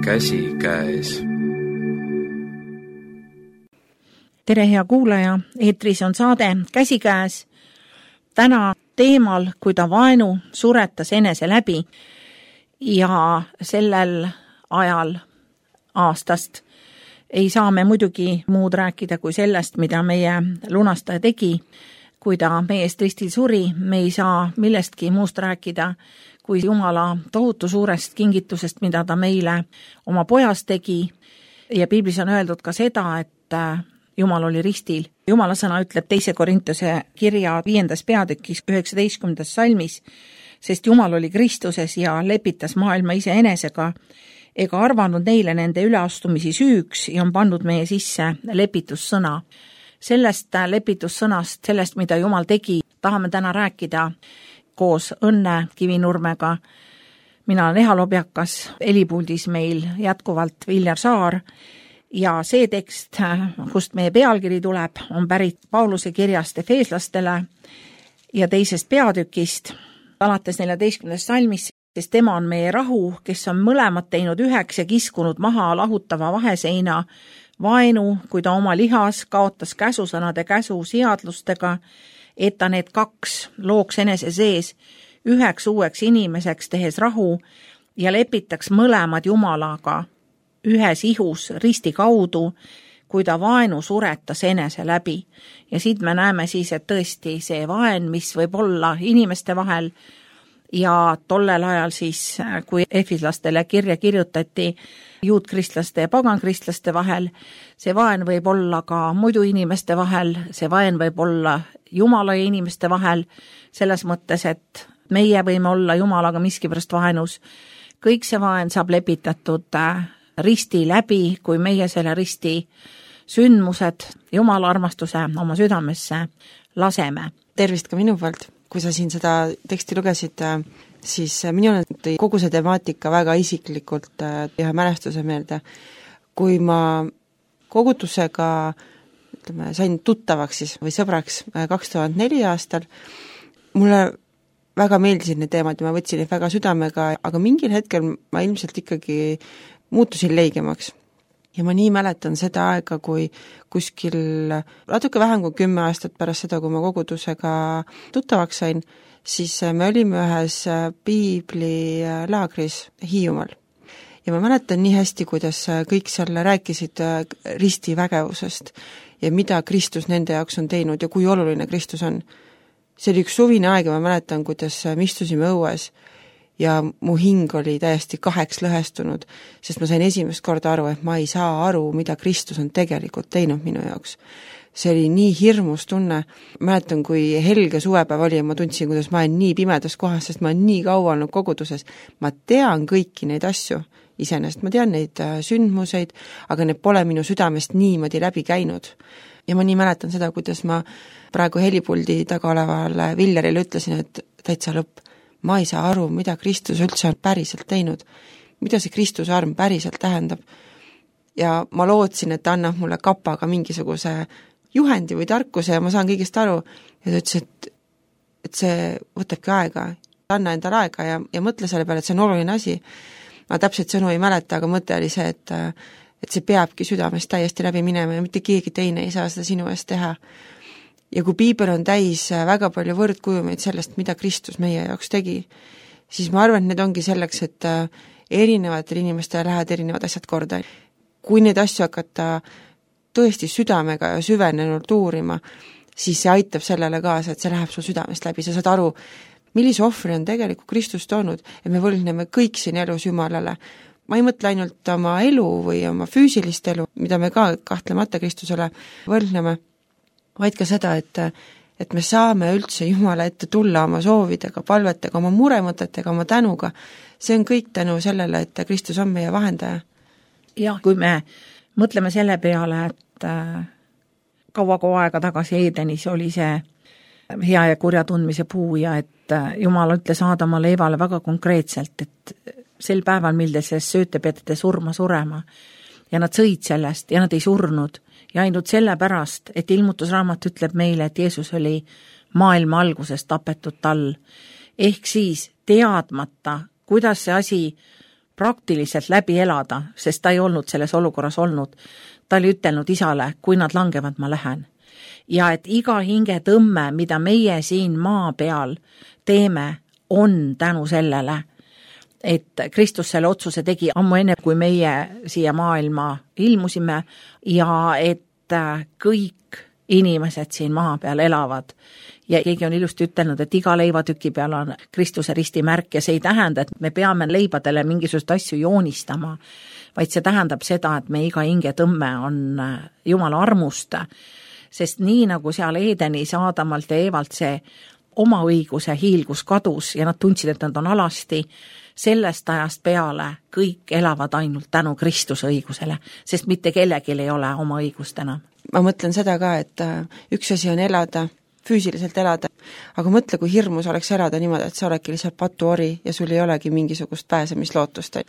käsikäes. Tere, hea kuulaja, eetris on saade Käsikäes. Täna teemal, kui ta vaenu suretas enese läbi ja sellel ajal aastast ei saa me muidugi muud rääkida kui sellest, mida meie lunastaja tegi, kui ta meie eest ristil suri. Me ei saa millestki muust rääkida kui Jumala tohutu suurest kingitusest, mida ta meile oma pojas tegi. Ja piiblis on öeldud ka seda, et Jumal oli ristil. Jumala sõna ütleb 2. Korintuse kirja 5. peatükis 19. salmis, sest Jumal oli Kristuses ja lepitas maailma iseenesega, ega arvanud neile nende üleastumisi süüks ja on pannud meie sisse lepitussõna. Sellest lepitussõnast, sellest, mida Jumal tegi, tahame täna rääkida koos Õnne Kivinurmega. Mina olen Eha Lobjakas, helipuldis meil jätkuvalt Viljar Saar ja see tekst, kust meie pealkiri tuleb, on pärit Pauluse kirjast Efeeslastele ja 2. peatükist, alates 14. salmis, sest tema on meie rahu, kes on mõlemad teinud üheks ja kiskunud maha lahutava vaheseina vaenu, kui ta oma lihas kaotas käsusõnade käsu seadlustega, et ta need 2 looks enese sees üheks uueks inimeseks, tehes rahu ja lepitaks mõlemad Jumalaga ühes ihus risti kaudu, kui ta vaenu suretas enese läbi. Ja siit me näeme siis, et tõesti see vaen, mis võib olla inimeste vahel ja tollel ajal siis, kui efeslastele kirja kirjutati juutkristlaste ja pagankristlaste vahel, see vaen võib olla ka muidu inimeste vahel, see vaen võib olla Jumala ja inimeste vahel, selles mõttes, et meie võime olla Jumalaga miskipärast vaenus. Kõik see vaen saab lepitatud risti läbi, kui meie selle risti sündmused, Jumala armastuse oma südamesse laseme. Tervist ka minu poolt. Kui sa siin seda teksti lugesid, siis minul tõi kogu see temaatika väga isiklikult ühe mälestuse meelde. Kui ma kogutusega sain tuttavaks siis, või sõbraks 2004 aastal, mulle väga meeldisid need teemad ja ma võtsin neid väga südamega, aga mingil hetkel ma ilmselt ikkagi muutusin leigemaks. Ja ma nii mäletan seda aega, kui kuskil natuke vähem kui 10 aastat pärast seda, kui ma kogudusega tuttavaks sain, siis me olime ühes piiblilaagris Hiiumaal. Ja ma mäletan nii hästi, kuidas kõik seal rääkisid risti vägevusest ja mida Kristus nende jaoks on teinud ja kui oluline Kristus on. See oli üks suvine aeg ja ma mäletan, kuidas me istusime õues ja mu hing oli täiesti 2 lõhestunud, sest ma sain esimest korda aru, et ma ei saa aru, mida Kristus on tegelikult teinud minu jaoks. See oli nii hirmus tunne. Mäletan, kui helge suvepäev oli ja ma tundsin, kuidas ma olen nii pimedas kohas, sest ma olen nii kaua olnud koguduses. Ma tean kõiki neid asju iseenesest, ma tean neid sündmuseid, aga need pole minu südamest niimoodi läbi käinud. Ja ma nii mäletan seda, kuidas ma praegu helipuldi taga olevale Viljarile ütlesin, et täitsa lõpp. Ma ei saa aru, mida Kristus üldse on päriselt teinud, mida see Kristuse arm päriselt tähendab. Ja ma lootsin, et ta annab mulle kapaga mingisuguse juhendi või tarkuse ja ma saan kõigest aru. Ja ta ütles, et see võtabki aega, anna endale aega ja mõtle selle peale, et see on oluline asi. Ma täpselt sõnu ei mäleta, aga mõte oli see, et see peabki südamest täiesti läbi minema ja mitte keegi teine ei saa seda sinu eest teha. Ja kui piibel on täis väga palju võrdkujumeid sellest, mida Kristus meie jaoks tegi, siis ma arvan, et need ongi selleks, et erinevatel inimestel lähevad erinevad asjad korda. Kui neid asju hakata tõesti südamega ja süvenenult uurima, siis see aitab sellele kaasa, et see läheb sul südamest läbi. Sa saad aru, millise ohvri on tegelikult Kristus toonud, et me võlgneme kõik siin elus Jumalale. Ma ei mõtle ainult oma elu või oma füüsilist elu, mida me ka kahtlemata Kristusele võlgneme, vaid ka seda, et me saame üldse Jumala ette tulla oma soovidega, palvetega, oma muremõtetega, oma tänuga. See on kõik tänu sellele, et Kristus on meie vahendaja. Jah, kui me mõtleme selle peale, et kaua aega tagasi Eedenis oli see hea ja kurja tundmise puu ja et Jumal ütles Aadamale Evale väga konkreetselt, et sel päeval, mil te sellest sööte, peate te surema ja nad sõid sellest ja nad ei surnud ja ainult sellepärast, et ilmutusraamat ütleb meile, et Jeesus oli maailma algusest tapetud tal. Ehk siis teadmata, kuidas see asi praktiliselt läbi elada, sest ta ei olnud selles olukorras olnud. Ta oli ütelnud isale, kui nad langevad, ma lähen. Ja et iga hingetõmme, mida meie siin maa peal teeme, on tänu sellele, et Kristus selle otsuse tegi ammu enne, kui meie siia maailma ilmusime ja et kõik inimesed siin maa peal elavad. Ja keegi on ilusti ütelnud, et iga leivatüki peal on Kristuse ristimärk ja see ei tähenda, et me peame leibadele mingisugust asju joonistama, vaid see tähendab seda, et me iga hingetõmme on Jumala armust, sest nii nagu seal Edenis Aadamalt ja Eevalt see oma õiguse hiilgus kadus ja nad tundsid, et nad on alasti, sellest ajast peale kõik elavad ainult tänu Kristuse õigusele, sest mitte kellelgi ei ole oma õigust enam. Ma mõtlen seda ka, et üks asi on elada, füüsiliselt elada, aga mõtle, kui hirmus oleks elada niimoodi, et sa oledki lihtsalt patuori ja sul ei olegi mingisugust pääsemislootust.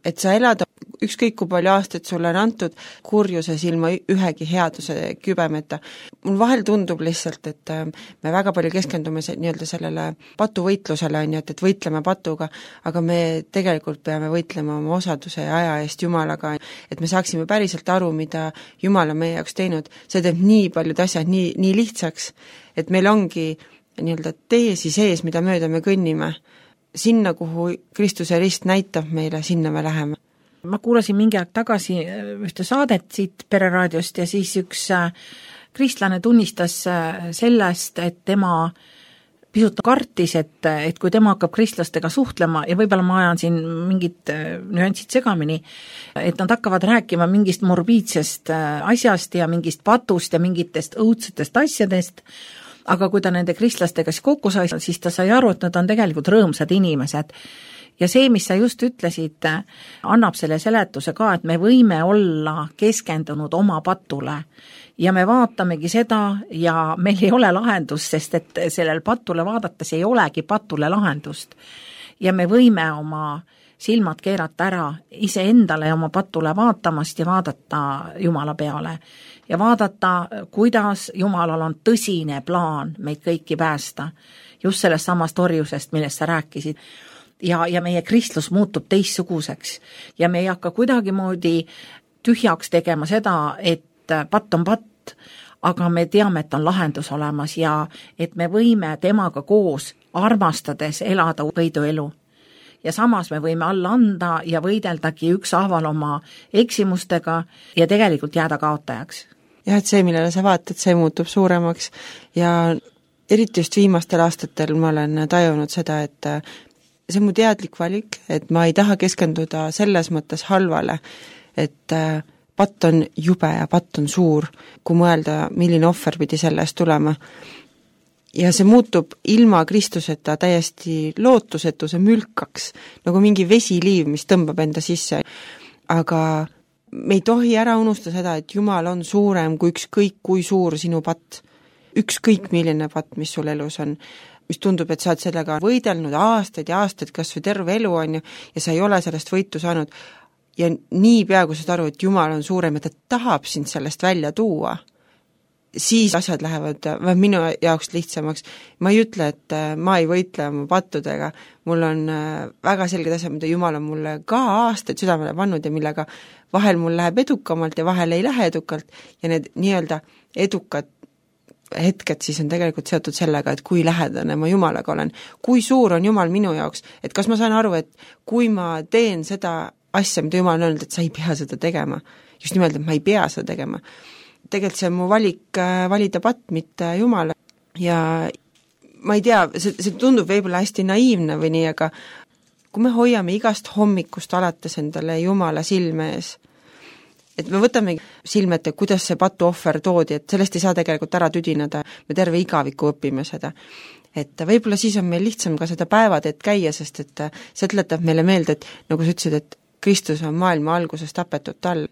Et sa elad ükskõik kui palju aastaid sulle on antud kurjuses ilma ühegi headuse kübemeta. Mul vahel tundub lihtsalt, et me väga palju keskendume nii-öelda sellele patuvõitlusele, et võitleme patuga, aga me tegelikult peame võitlema oma osaduse ja aja eest Jumalaga, et me saaksime päriselt aru, mida Jumal on meie jaoks teinud. See teeb nii paljud asjad nii lihtsaks, et meil ongi nii-öelda teesi sees, mida mööda me kõnnime. Sinna, kuhu Kristuse rist näitab meile, sinna me läheme. Ma kuulasin mingi aeg tagasi ühte saadet siit Pereraadiost ja siis üks kristlane tunnistas sellest, et tema pisut kartis, et kui tema hakkab kristlastega suhtlema ja võib-olla ma ajan siin mingid nüansid segamini, et nad hakkavad rääkima mingist morbiidsest asjast ja mingist patust ja mingitest õudsetest asjadest, aga kui ta nende kristlastega kokku sai, siis ta sai aru, et nad on tegelikult rõõmsad inimesed. Ja see, mis sa just ütlesid, annab selle seletuse ka, et me võime olla keskendunud oma patule ja me vaatamegi seda ja meil ei ole lahendust, sest et sellel patule vaadates ei olegi patule lahendust. Ja me võime oma silmad keerata ära iseendale ja oma patule vaatamast ja vaadata Jumala peale. Ja vaadata, kuidas Jumalal on tõsine plaan meid kõiki päästa, just sellest samast orjusest, millest sa rääkisid. Ja meie kristlus muutub teistsuguseks ja me ei hakka kuidagimoodi tühjaks tegema seda, et patt on patt, aga me teame, et on lahendus olemas ja et me võime temaga koos armastades elada võiduelu. Ja samas me võime alla anda ja võideldagi ükshaaval oma eksimustega ja tegelikult jääda kaotajaks. Jah, et see, millele sa vaatad, see muutub suuremaks ja eriti just viimastel aastatel ma olen tajunud seda, et see on mu teadlik valik, et ma ei taha keskenduda selles mõttes halvale, et patt on jube ja patt on suur, kui mõelda, milline ohver pidi selle eest tulema. Ja see muutub ilma Kristuseta täiesti lootusetuse mülkaks, nagu mingi vesiliiv, mis tõmbab enda sisse. Aga me ei tohi ära unustada seda, et Jumal on suurem kui ükskõik kui suur sinu patt. Ükskõik milline patt, mis sul elus on, mis tundub, et sa oled sellega võidelnud aastaid ja aastaid, kas või terve elu on ju, ja sa ei ole sellest võitu saanud. Ja nii peaaegu saad aru, et Jumal on suurem ja ta tahab sind sellest välja tuua, siis asjad lähevad minu jaoks lihtsamaks. Ma ei ütle, et ma ei võitle oma pattudega, mul on väga selged asjad, mida Jumal on mulle ka aastaid südamele pannud ja millega vahel mul läheb edukamalt ja vahel ei lähe edukalt ja need nii-öelda edukad hetked siis on tegelikult seotud sellega, et kui lähedane ma Jumalaga olen, kui suur on Jumal minu jaoks, et kas ma saan aru, et kui ma teen seda asja, mida Jumal on öelnud, et sa ei pea seda tegema, just nimelt, et ma ei pea seda tegema. Tegelikult see on mu valik valida patt, mitte Jumala ja ma ei tea, see tundub võib-olla hästi naiivne või nii, aga kui me hoiame igast hommikust alates endale Jumala silme ees, et me võtame silmete, kuidas see patuohver toodi, et sellest ei saa tegelikult ära tüdinada, me terve igaviku õpime seda. Et võib-olla siis on meil lihtsam ka seda päevateed käia, sest et see tuletab meile meelde, et nagu sa ütlesid, et Kristus on maailma alguses tapetud tal.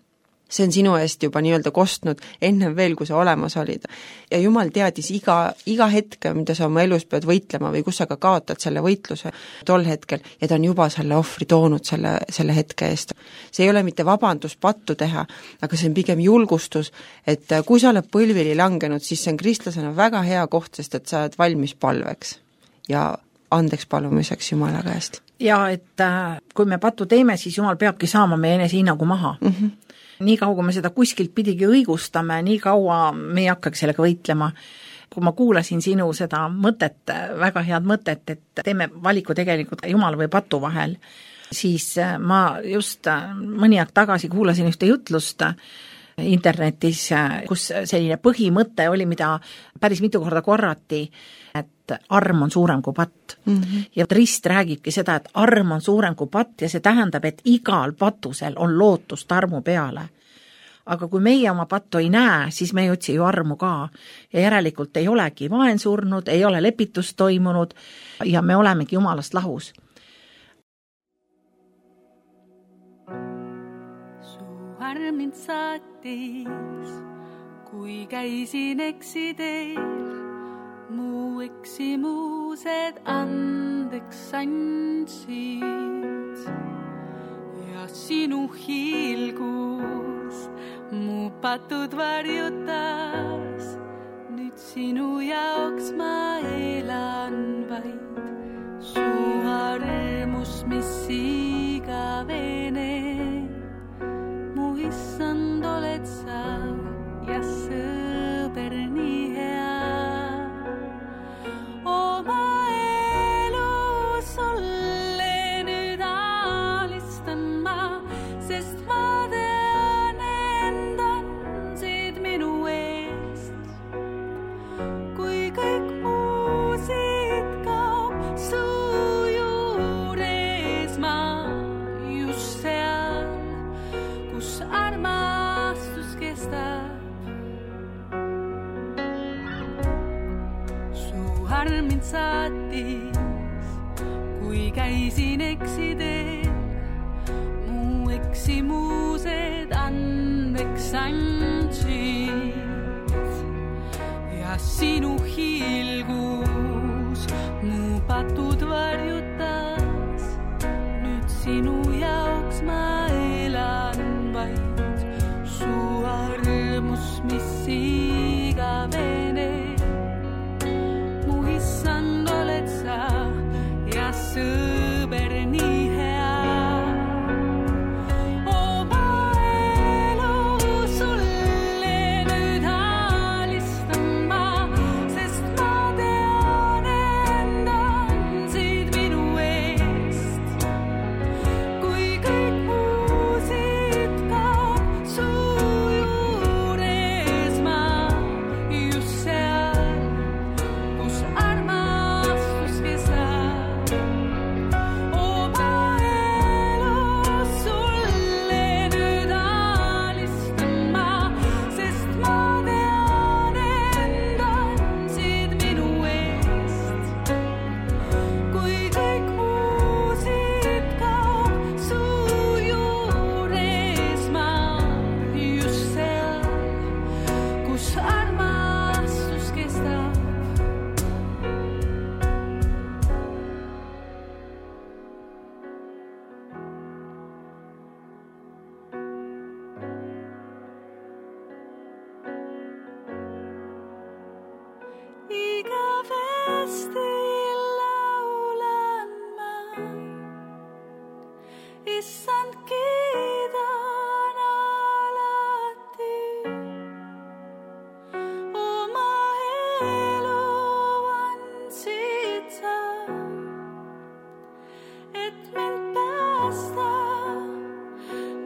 See on sinu eest juba nii-öelda kostnud ennem veel, kui sa olemas olid. Ja Jumal teadis iga hetke, mida sa oma elus pead võitlema või kus sa ka kaotad selle võitluse tol hetkel ja ta on juba selle ohvri toonud selle hetke eest. See ei ole mitte vabandus pattu teha, aga see on pigem julgustus, et kui sa oled põlvili langenud, siis see on kristlasena väga hea koht, sest et sa oled valmis palveks. Ja andeks palumiseks Jumala käest. Ja et kui me pattu teeme, siis Jumal peabki saama meie enesehinnangu maha. Nii kaua, kui me seda kuskilt pidigi õigustame, nii kaua me ei hakkagi sellega võitlema. Kui ma kuulasin sinu seda mõtet, väga head mõtet, et teeme valiku tegelikult Jumala või patu vahel, siis ma just mõni aeg tagasi kuulasin ühte jutlust internetis, kus selline põhimõte oli, mida päris mitu korda korrati, et arm on suurem kui patt. Ja Rist räägibki seda, et arm on suurem kui patt ja see tähendab, et igal patusel on lootust armu peale. Aga kui meie oma pattu ei näe, siis me ei otsi ju armu ka. Ja järelikult ei olegi vaen surnud, ei ole lepitust toimunud ja me olemegi Jumalast lahus. Arm mind saatis, kui käisin eksideel, mu eksimused andeks andsid ja sinu hiilgus mu patud varjutas. Nüüd sinu jaoks ma elan vaid, su armus, mis igavene. Issand oled sa ja sõber nii hea. Oma elu sulle nüüd alistan ma, sest ma tean end andsid minu eest. Kui kõik muu siit kaob su juures, ma just seal, kus armastus kestab. Su arm mind saatis, kui käisin eksideel, mu eksimused andeks andsid ja sinu hiilgus mu patud varjutas. Nüüd sinu jaoks ma elan vaid, su armus, mis igavene. Mu issand oled sa ja sõber nii hea. Oma elu sulle nüüd alistan ma, sest ma tean end andsid minu eest. Kui kõik muu siit kaob su juures, ma just seal, kus armastus kestab. Oma elu sulle nüüd alistan ma, sest ma tean end andsid minu eest. Kui kõik muu siit kaob su juures, ma just seal, kus armastus kestab. Igavesti laulan ma, issand kiidan alati. Oma elu andsid sa, et mind päästa,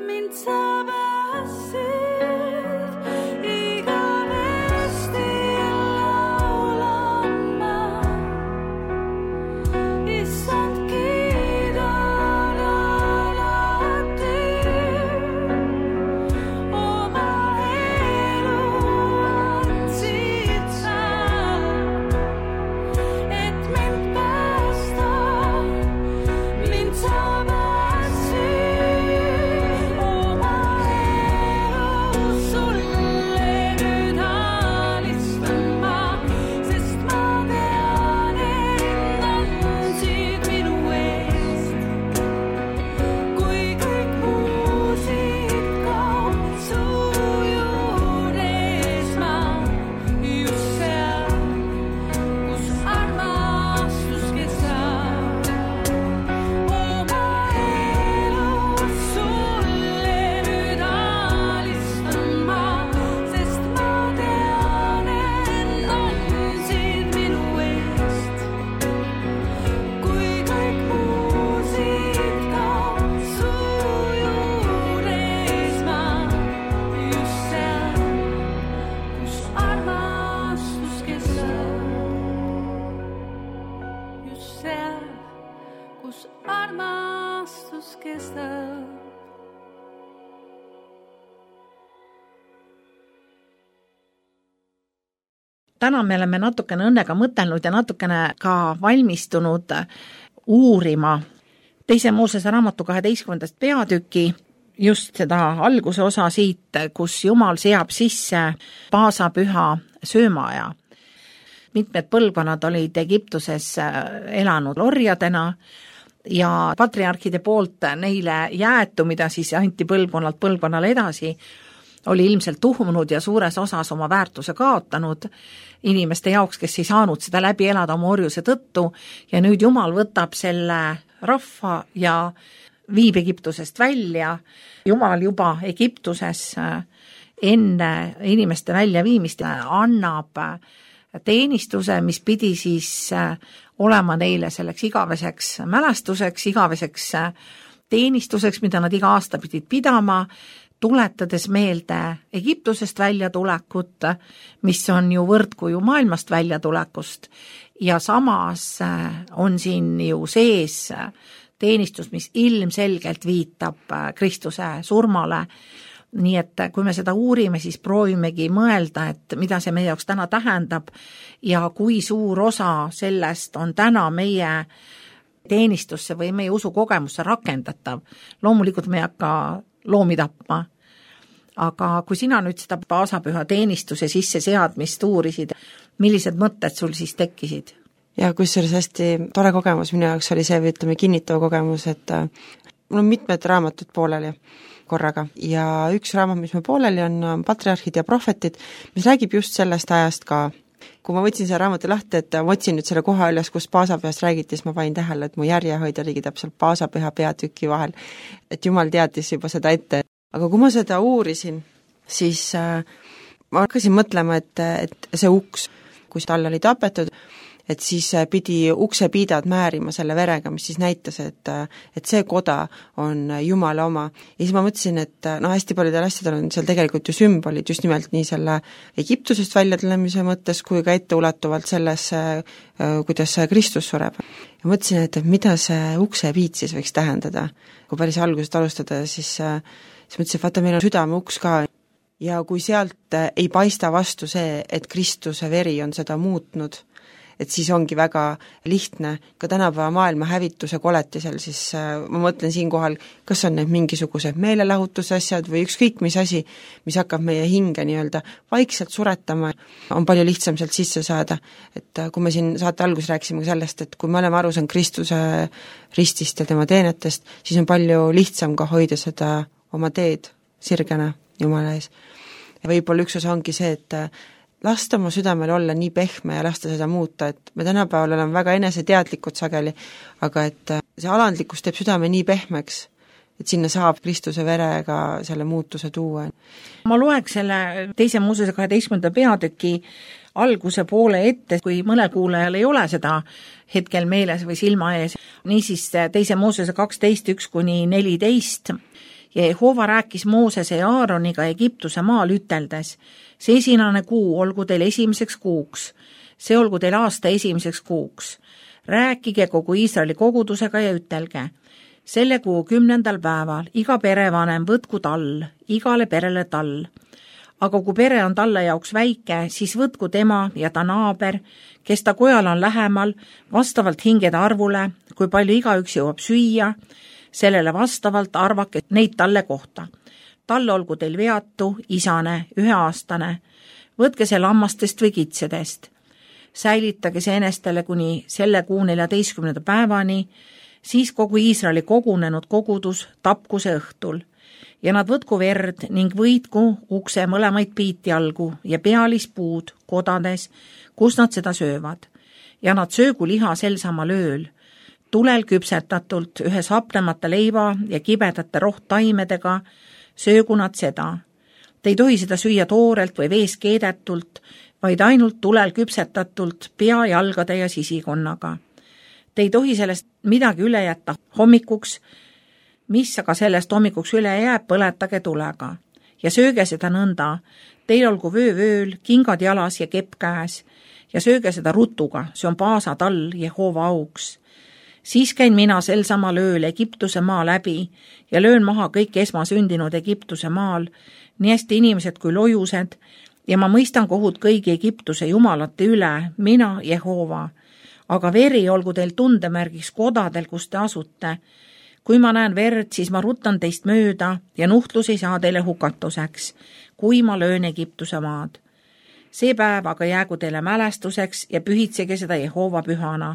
mind sa päästsid. Igavesti laulan ma, issand kiidan alati. Oma elu andsid sa, et mind päästa, mind sa päästsid. kus armastus kestab. täna me oleme natukene õnnega mõtelnud ja natukene ka valmistunud uurima Teise Moosese raamatu 12. peatüki, just seda alguse osa siit, kus Jumal seab sisse paasapüha söömaaja. Mitmed põlvkonnad olid Egiptuses elanud orjadena ja patriarhide poolt neile jäetu, mida siis anti põlvkonnalt põlvkonnale edasi, oli ilmselt tuhmunud ja suures osas oma väärtuse kaotanud inimeste jaoks, kes ei saanud seda läbi elada oma orjuse tõttu, ja nüüd Jumal võtab selle rahva ja viib Egiptusest välja. Jumal juba Egiptuses enne inimeste väljaviimist annab teenistuse, mis pidi siis olema neile selleks igaveseks mälestuseks, igaveseks teenistuseks, mida nad iga aasta pidid pidama, tuletades meelde Egiptusest väljatulekut, mis on ju võrdkuju maailmast väljatulekust, ja samas on siin ju sees teenistus, mis ilmselgelt viitab Kristuse surmale. Nii et kui me seda uurime, siis proovimegi mõelda, et mida see meie jaoks täna tähendab ja kui suur osa sellest on täna meie teenistusse või meie usukogemusse rakendatav. Loomulikult me ei hakka loomi tapma, aga kui sina nüüd seda paasapüha teenistuse sisseseadmist uurisid, millised mõtted sul siis tekkisid? Ja kusjuures hästi tore kogemus minu jaoks oli see, või ütleme kinnitav kogemus, et mul on mitmed raamatud pooleli korraga ja üks raamat, mis meil pooleli on Patriarhid ja prohvetid, mis räägib just sellest ajast ka. Kui ma võtsin selle raamatu lahti, et ma otsin nüüd selle koha üles, kus paasapühast räägiti, siis ma panin tähele, et mu järjehoid oligi täpselt paasapüha peatüki vahel, et Jumal teadis juba seda ette. Aga kui ma seda uurisin, siis ma hakkasin mõtlema, et see uks, kus tal oli tapetud, et siis pidi uksepiidad määrima selle verega, mis siis näitas, et see koda on Jumala oma. Ja siis ma mõtlesin, et hästi paljudel asjadel on seal tegelikult ju sümbolid, just nimelt nii selle Egiptusest väljatlemise mõttes, kui ka etteulatuvalt selles, kuidas Kristus sureb. Ja mõtlesin, et mida see uksepiid siis võiks tähendada. Kui päris algusest alustada, siis mõtlesin, et vaata, meil on südame uks ka. Ja kui sealt ei paista vastu see, et Kristuse veri on seda muutnud, et siis ongi väga lihtne ka tänapäeva maailma hävituse koletisel, siis ma mõtlen siinkohal, kas on need mingisugused meelelahutusasjad või ükskõik mis asi, mis hakkab meie hinge nii-öelda vaikselt suretama, on palju lihtsam sealt sisse saada. Et kui me siin saate alguses rääkisime sellest, et kui me oleme aru saanud Kristuse ristist ja tema teenetest, siis on palju lihtsam ka hoida seda oma teed sirgena Jumala ees. Ja võib-olla üks osa ongi see, et lasta oma südamel olla nii pehme ja lasta seda muuta, et me tänapäeval oleme väga eneseteadlikud sageli, aga et see alandlikkus teeb südame nii pehmeks, et sinna saab Kristuse verega selle muutuse tuua. Ma loeks selle Teise Moosese 12. peatüki alguse poole ette, kui mõnel kuulajal ei ole seda hetkel meeles või silma ees. Niisiis Teise Moosese 12:1-14 ja Jehova rääkis Moosese ja Aaroniga Egiptuse maal üteldes: see esinane kuu olgu teil esimeseks kuuks, see olgu teil aasta esimeseks kuuks. Rääkige kogu Iisraeli kogudusega ja ütelge: selle kuu 10. päeval iga perevanem võtku tall, igale perele tall. Aga kui pere on talle jaoks väike, siis võtku tema ja ta naaber, kes ta kojal on lähemal, vastavalt hingede arvule, kui palju igaüks jõuab süüa, sellele vastavalt arvake neid talle kohta. Talle olgu teil veatu, isane, 1-aastane, võtke see lammastest või kitsedest. Säilitage see enestele kuni selle kuu 14. päevani, siis kogu Iisraeli kogunenud kogudus tapku see õhtul. Ja nad võtku verd ning võitku ukse mõlemaid piitjalgu ja pealispuud kodades, kus nad seda söövad. Ja nad söögu liha sel samal ööl, tulel küpsetatult ühes hapnemata leiva ja kibedate rohttaimedega, söögu nad seda. Te ei tohi seda süüa toorelt või vees keedetult, vaid ainult tulel küpsetatult pea, jalgade ja sisikonnaga. Te ei tohi sellest midagi üle jätta hommikuks, mis aga sellest hommikuks üle jääb, põletage tulega. Ja sööge seda nõnda, teil olgu vöövööl, kingad jalas ja kepp käes, ja sööge seda rutuga, see on paasa tall Jehova auks. Siis käin mina sel samal ööl Egiptuse maa läbi ja löön maha kõik esmasündinud Egiptuse maal, nii hästi inimesed kui lojused, ja ma mõistan kohut kõigi Egiptuse jumalate üle, mina, Jehova. Aga veri olgu teil tundemärgiks kodadel, kus te asute. Kui ma näen verd, siis ma rutan teist mööda ja nuhtlus ei saa teile hukatuseks, kui ma löön Egiptuse maad. See päev aga jäägu teile mälestuseks ja pühitsege seda Jehova pühana.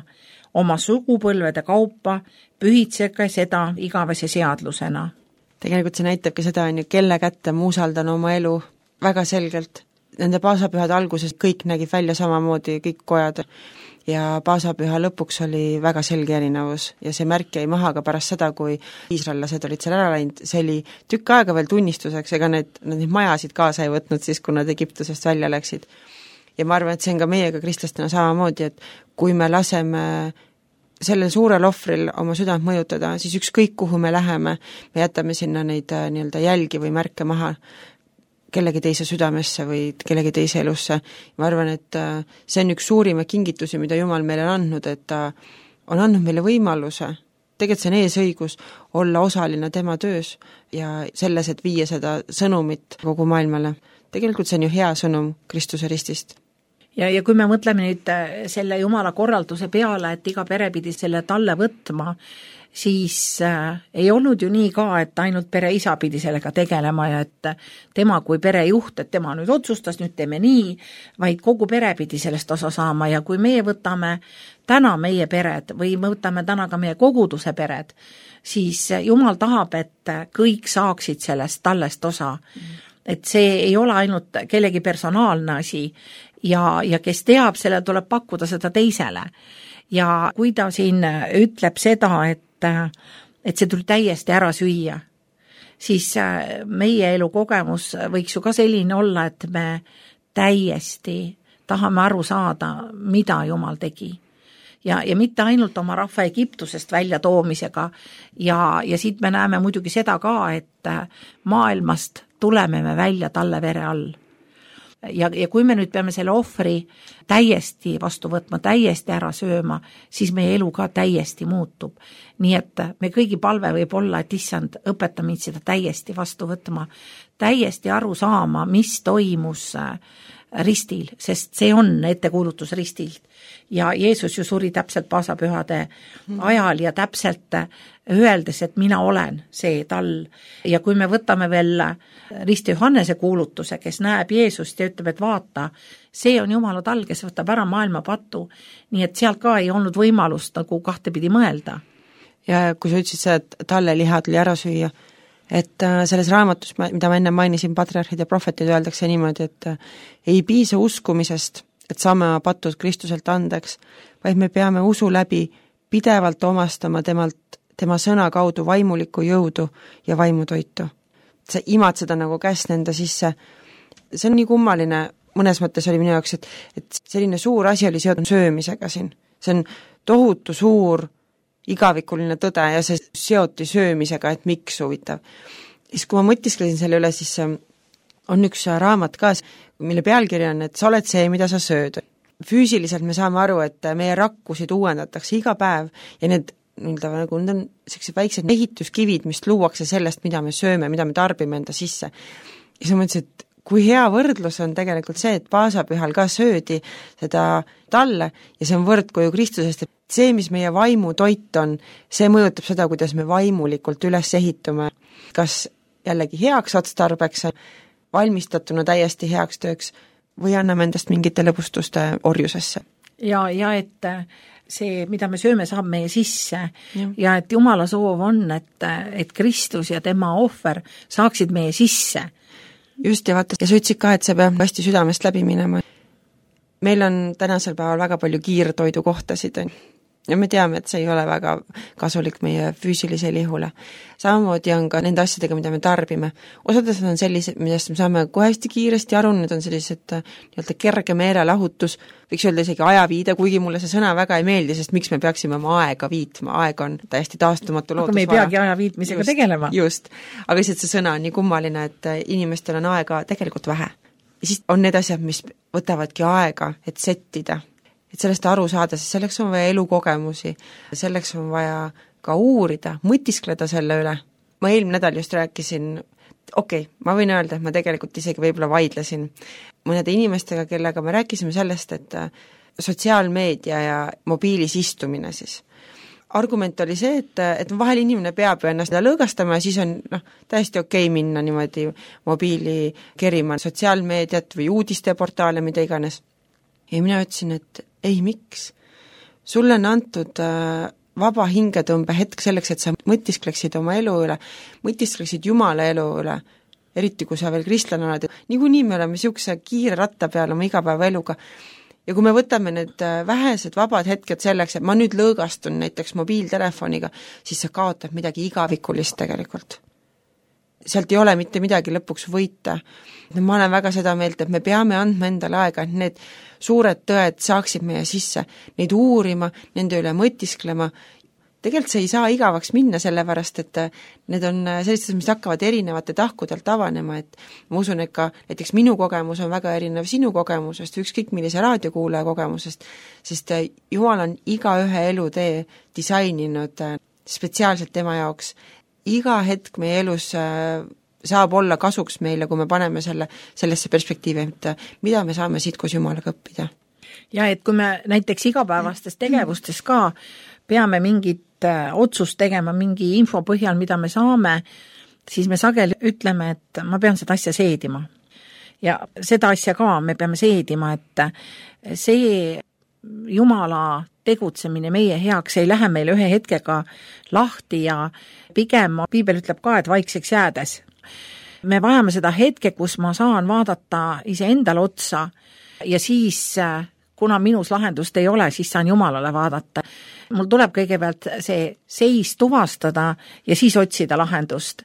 Oma sugupõlvede kaupa pühitsege seda igavese seadlusena. Tegelikult see näitabki seda, kelle kätte ma usaldan oma elu väga selgelt. Nende paasapühade alguses kõik nägid välja samamoodi, kõik kojad, ja paasapüha lõpuks oli väga selge erinevus ja see märk jäi maha ka pärast seda, kui iisraellased olid seal ära läinud, see oli tükk aega veel tunnistuseks, ega need majasid kaasa ei võtnud siis, kui nad Egiptusest välja läksid. Ja ma arvan, et see on ka meiega kristlastena samamoodi, et kui me laseme sellel suurel ohvril oma südant mõjutada, siis ükskõik kuhu me läheme, me jätame sinna neid nii-öelda jälgi või märke maha kellegi teise südamesse või kellegi teise elusse. Ma arvan, et see on üks suurima kingitusi, mida Jumal meile on andnud, et ta on andnud meile võimaluse, tegelikult see on eesõigus, olla osaline tema töös ja selles, et viia seda sõnumit kogu maailmale. Tegelikult see on ju hea sõnum Kristuse ristist. Ja kui me mõtleme nüüd selle Jumala korralduse peale, et iga pere pidi selle talle võtma, siis ei olnud ju nii ka, et ainult pere isa pidi sellega tegelema ja et tema kui perejuht, et tema nüüd otsustas, nüüd teeme nii, vaid kogu pere pidi sellest osa saama ja kui meie võtame täna meie pered või võtame täna ka meie koguduse pered, siis Jumal tahab, et kõik saaksid sellest tallest osa. Et see ei ole ainult kellegi personaalne asi ja kes teab, selle tuleb pakkuda seda teisele. Ja kui ta siin ütleb seda, et see tuli täiesti ära süüa, siis meie elu kogemus võiks ju ka selline olla, et me täiesti tahame aru saada, mida Jumal tegi. Ja mitte ainult oma rahva Egiptusest välja toomisega ja siit me näeme muidugi seda ka, et maailmast tuleme me välja talle vere all. Ja kui me nüüd peame selle ohvri täiesti vastu võtma, täiesti ära sööma, siis meie elu ka täiesti muutub. Nii et me kõigi palve võib olla, et issand, õpeta mind seda täiesti vastu võtma, täiesti aru saama, mis toimus ristil, sest see on ettekuulutus ristilt. Ja Jeesus ju suri täpselt paasapühade ajal ja täpselt öeldes, et mina olen see tall. Ja kui me võtame veel Risti Johannese kuulutuse, kes näeb Jeesust ja ütleb, et vaata, see on Jumala tall, kes võtab ära maailma patu, nii et sealt ka ei olnud võimalust nagu kahtepidi mõelda. Ja kui sa ütlesid seda, et talle liha tuli ära süüa, et selles raamatus, mida ma enne mainisin, patriarhid ja prohvetid, öeldakse niimoodi, et ei piisa uskumisest, et saame patud Kristuselt andeks, vaid me peame usu läbi pidevalt omastama tema sõna kaudu vaimulikku jõudu ja vaimutoitu. Sa imad seda nagu käest enda sisse. See on nii kummaline, mõnes mõttes oli minu jaoks, et selline suur asi oli seotud söömisega siin. See on tohutu suur igavikuline tõde ja see seoti söömisega, et miks huvitav. Siis kui ma mõtisklesin selle üle, siis on üks raamat ka, mille pealkiri on, et sa oled see, mida sa sööd. Füüsiliselt me saame aru, et meie rakkusid uuendatakse iga päev ja need on sellised väiksed ehituskivid, mis luuakse sellest, mida me sööme, mida me tarbime enda sisse. Ja siis ma mõtlesin, et kui hea võrdlus on tegelikult see, et paasapühal ka söödi seda talle ja see on võrdkoju Kristusest, et see, mis meie vaimu toit on, see mõjutab seda, kuidas me vaimulikult üles ehitume. Kas jällegi heaks otstarbeks, valmistatuna täiesti heaks tööks või anname endast mingite lõbustuste orjusesse. Ja et see, mida me sööme, saab meie sisse ja et Jumala soov on, et Kristus ja tema ohver saaksid meie sisse. Just, ja vaata, ja sa ütlesid ka, et see peab hästi südamest läbi minema. Meil on tänasel päeval väga palju kiirtoidu kohtasid ja me teame, et see ei ole väga kasulik meie füüsilisele ihule. Samamoodi on ka nende asjadega, mida me tarbime. Osades on sellised, millest me saame kohe hästi kiiresti aru, need on sellised nii-öelda kerge meelelahutus, võiks öelda isegi ajaviide, kuigi mulle see sõna väga ei meeldi, sest miks me peaksime oma aega viitma, aeg on täiesti taastumatu loodusvara. Aga me ei peagi aja viitmisega tegelema. Just, aga lihtsalt see sõna on nii kummaline, et inimestel on aega tegelikult vähe. Ja siis on need asjad, mis võtavadki aega, et settida. et sellest aru saada, sest selleks on vaja elukogemusi, selleks on vaja ka uurida, mõtiskleda selle üle. Ma eelmine nädal just rääkisin, ma võin öelda, et ma tegelikult isegi võib-olla vaidlesin mõnede inimestega, kellega me rääkisime sellest, et sotsiaalmeedia ja mobiilis istumine siis. Argument oli see, et vahel inimene peab ju ennast lõõgastama ja siis on täiesti minna niimoodi mobiili kerima sotsiaalmeediat või uudisteportaale, mida iganes. Ja mina ütlesin, et ei, miks? Sulle on antud vaba hingetõmbe hetk selleks, et sa mõtiskleksid oma elu üle, mõtiskleksid Jumala elu üle, eriti kui sa veel kristlane oled. Niikuinii me oleme niisuguse kiire ratta peal oma igapäevaeluga. Ja kui me võtame need vähesed vabad hetked selleks, et ma nüüd lõõgastun näiteks mobiiltelefoniga, siis sa kaotad midagi igavikulist tegelikult. Sealt ei ole mitte midagi lõpuks võita. Ma olen väga seda meelt, et me peame andma endale aega, et need suured tõed saaksid meie sisse, neid uurima, nende üle mõtisklema. Tegelikult see ei saa igavaks minna, sellepärast, et need on sellised, mis hakkavad erinevate tahkudelt avanema, et ma usun, et ka näiteks minu kogemus on väga erinev sinu kogemusest, ükskõik millise raadiokuulaja kogemusest, sest Jumal on igaühe elutee disaininud spetsiaalselt tema jaoks. Iga hetk meie elus saab olla kasuks meile, kui me paneme sellesse perspektiivi, et mida me saame siit koos Jumalaga õppida. Ja et kui me näiteks igapäevastes tegevustes ka peame mingit otsust tegema mingi info põhjal, mida me saame, siis me sageli ütleme, et ma pean seda asja seedima. Ja seda asja ka me peame seedima, et see Jumala tegutsemine meie heaks ei lähe meile ühe hetkega lahti ja pigem Piibel ütleb ka, et vaikseks jäädes. Me vajame seda hetke, kus ma saan vaadata iseendale otsa ja siis, kuna minus lahendust ei ole, siis saan Jumalale vaadata. Mul tuleb kõigepealt see seis tuvastada ja siis otsida lahendust.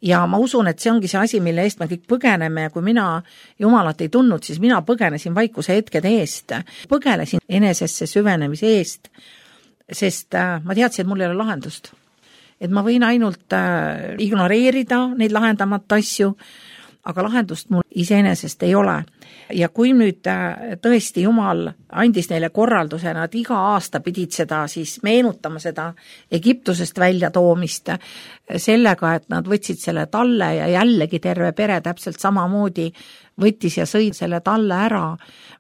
Ja ma usun, et see ongi see asi, mille eest me kõik põgeneme ja kui mina Jumalat ei tundnud, siis mina põgenesin vaikuse hetkede eest. Põgelesin enesesse süvenemise eest, sest ma teadsin, et mul ei ole lahendust. Et ma võin ainult ignoreerida neid lahendamata asju, aga lahendust mul iseenesest ei ole. Ja kui nüüd tõesti Jumal andis neile korralduse, nad iga aasta pidid seda siis meenutama seda Egiptusest välja toomist sellega, et nad võtsid selle talle ja jällegi terve pere täpselt samamoodi võttis ja sõi selle talle ära.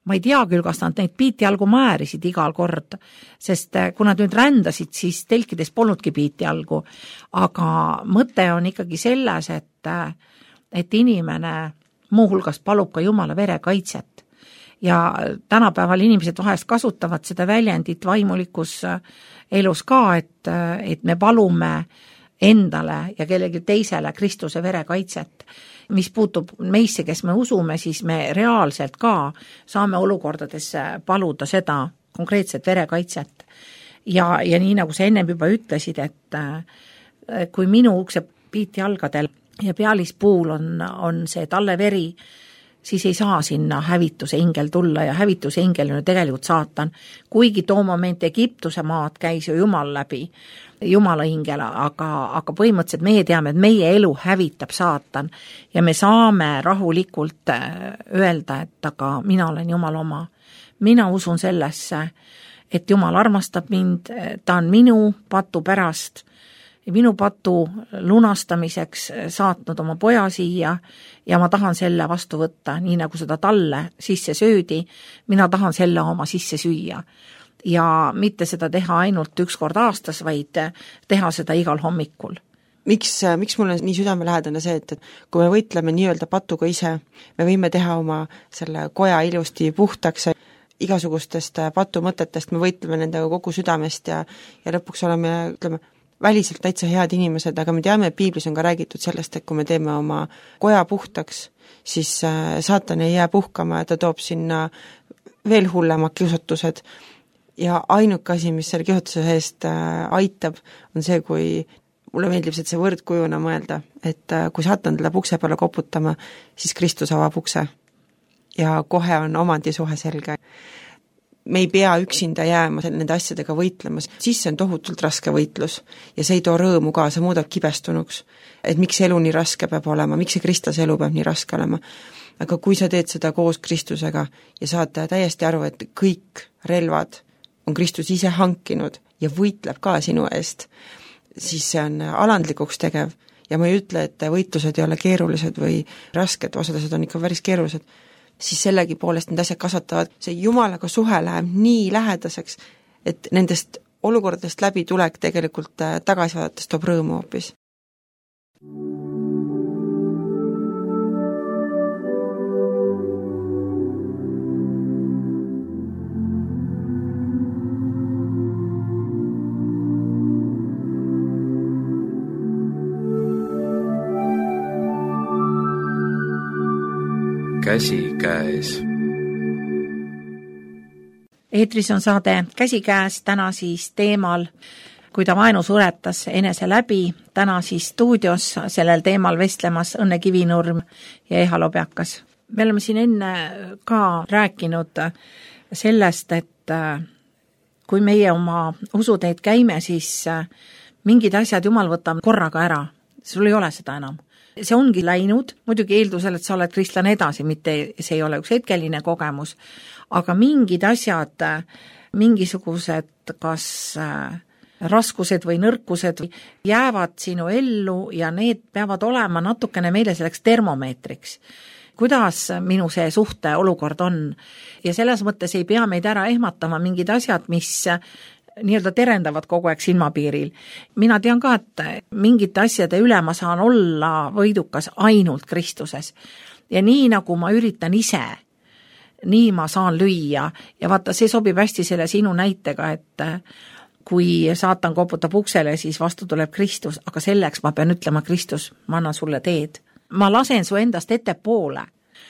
Ma ei tea küll, kas nad neid piitjalgu määrisid igal kord, sest kui nad nüüd rändasid, siis telkides polnudki piitjalgu, aga mõte on ikkagi selles, et inimene muuhulgas palub ka Jumala vere kaitset. Ja tänapäeval inimesed vahest kasutavad seda väljendit vaimulikus elus ka, et me palume endale ja kellegi teisele Kristuse vere kaitset. Mis puutub meisse, kes me usume, siis me reaalselt ka saame olukordades paluda seda konkreetset vere kaitset. Ja nii nagu sa ennem juba ütlesid, et kui minu ukse piitjalgadel ja pealispuul on see talle veri, siis ei saa sinna hävituse ingel tulla ja hävituse ingel on tegelikult saatan. Kuigi too moment Egiptuse maad käis ju Jumal läbi, Jumala ingel, aga põhimõtteliselt meie teame, et meie elu hävitab saatan ja me saame rahulikult öelda, et aga mina olen Jumal oma. Mina usun sellesse, et Jumal armastab mind, ta on minu patu pärast ja minu patu lunastamiseks saatnud oma poja siia ja ma tahan selle vastu võtta, nii nagu seda talle sisse söödi, mina tahan selle oma sisse süüa. Ja mitte seda teha ainult üks kord aastas, vaid teha seda igal hommikul. Miks mul on nii südamelähedane see, et kui me võitleme nii-öelda patuga ise, me võime teha oma selle koja ilusti puhtaks, igasugustest patumõtetest me võitleme nendega kogu südamest ja lõpuks oleme, ütleme, väliselt täitsa head inimesed, aga me teame, et Piiblis on ka räägitud sellest, et kui me teeme oma koja puhtaks, siis saatan ei jää puhkama ja ta toob sinna veel hullemad kiusatused ja ainuke asi, mis selle kiusatuse eest aitab, on see, kui mulle meeldib see võrdkujuna mõelda, et kui saatan tuleb ukse peale koputama, siis Kristus avab ukse ja kohe on omandisuhe selge. Me ei pea üksinda jääma nende asjadega võitlema, siis see on tohutult raske võitlus ja see ei too rõõmu ka, see muudab kibestunuks, et miks elu nii raske peab olema, miks see kristlase elu peab nii raske olema. aga kui sa teed seda koos Kristusega ja saad täiesti aru, et kõik relvad on Kristus ise hankinud ja võitleb ka sinu eest, siis see on alandlikuks tegev ja ma ei ütle, et võitlused ei ole keerulised või rasked, osad on ikka päris keerulised, siis sellegi poolest need asjad kasvatavad, see Jumalaga suhe läheb nii lähedaseks, et nendest olukordadest läbi tulek tegelikult tagasi vaadates toob rõõmu hoopis. Käsikäes. Eetris on saade Käsikäes, täna siis teemal, kui ta vaenu suretas enese läbi, täna siis stuudios sellel teemal vestlemas Õnne Kivinurm ja Eha Lobjakas. Me oleme siin enne ka rääkinud sellest, et kui meie oma usuteed käime, siis mingid asjad Jumal võtab korraga ära, sul ei ole seda enam. See ongi läinud, muidugi eeldusel, et sa oled kristlane edasi, mitte see ei ole üks hetkeline kogemus, aga mingid asjad, mingisugused kas raskused või nõrkused jäävad sinu ellu ja need peavad olema natukene meile selleks termomeetriks. Kuidas minu see suhte olukord on? Ja selles mõttes ei pea meid ära ehmatama mingid asjad, mis nii-öelda terendavad kogu aeg silmapiiril. Mina tean ka, et mingite asjade üle ma saan olla võidukas ainult Kristuses. Ja nii nagu ma üritan ise, nii ma saan lüüa. Ja vaata, see sobib hästi selle sinu näitega, et kui saatan koputab uksele, siis vastu tuleb Kristus, aga selleks ma pean ütlema, Kristus, ma annan sulle teed. Ma lasen su endast ettepoole.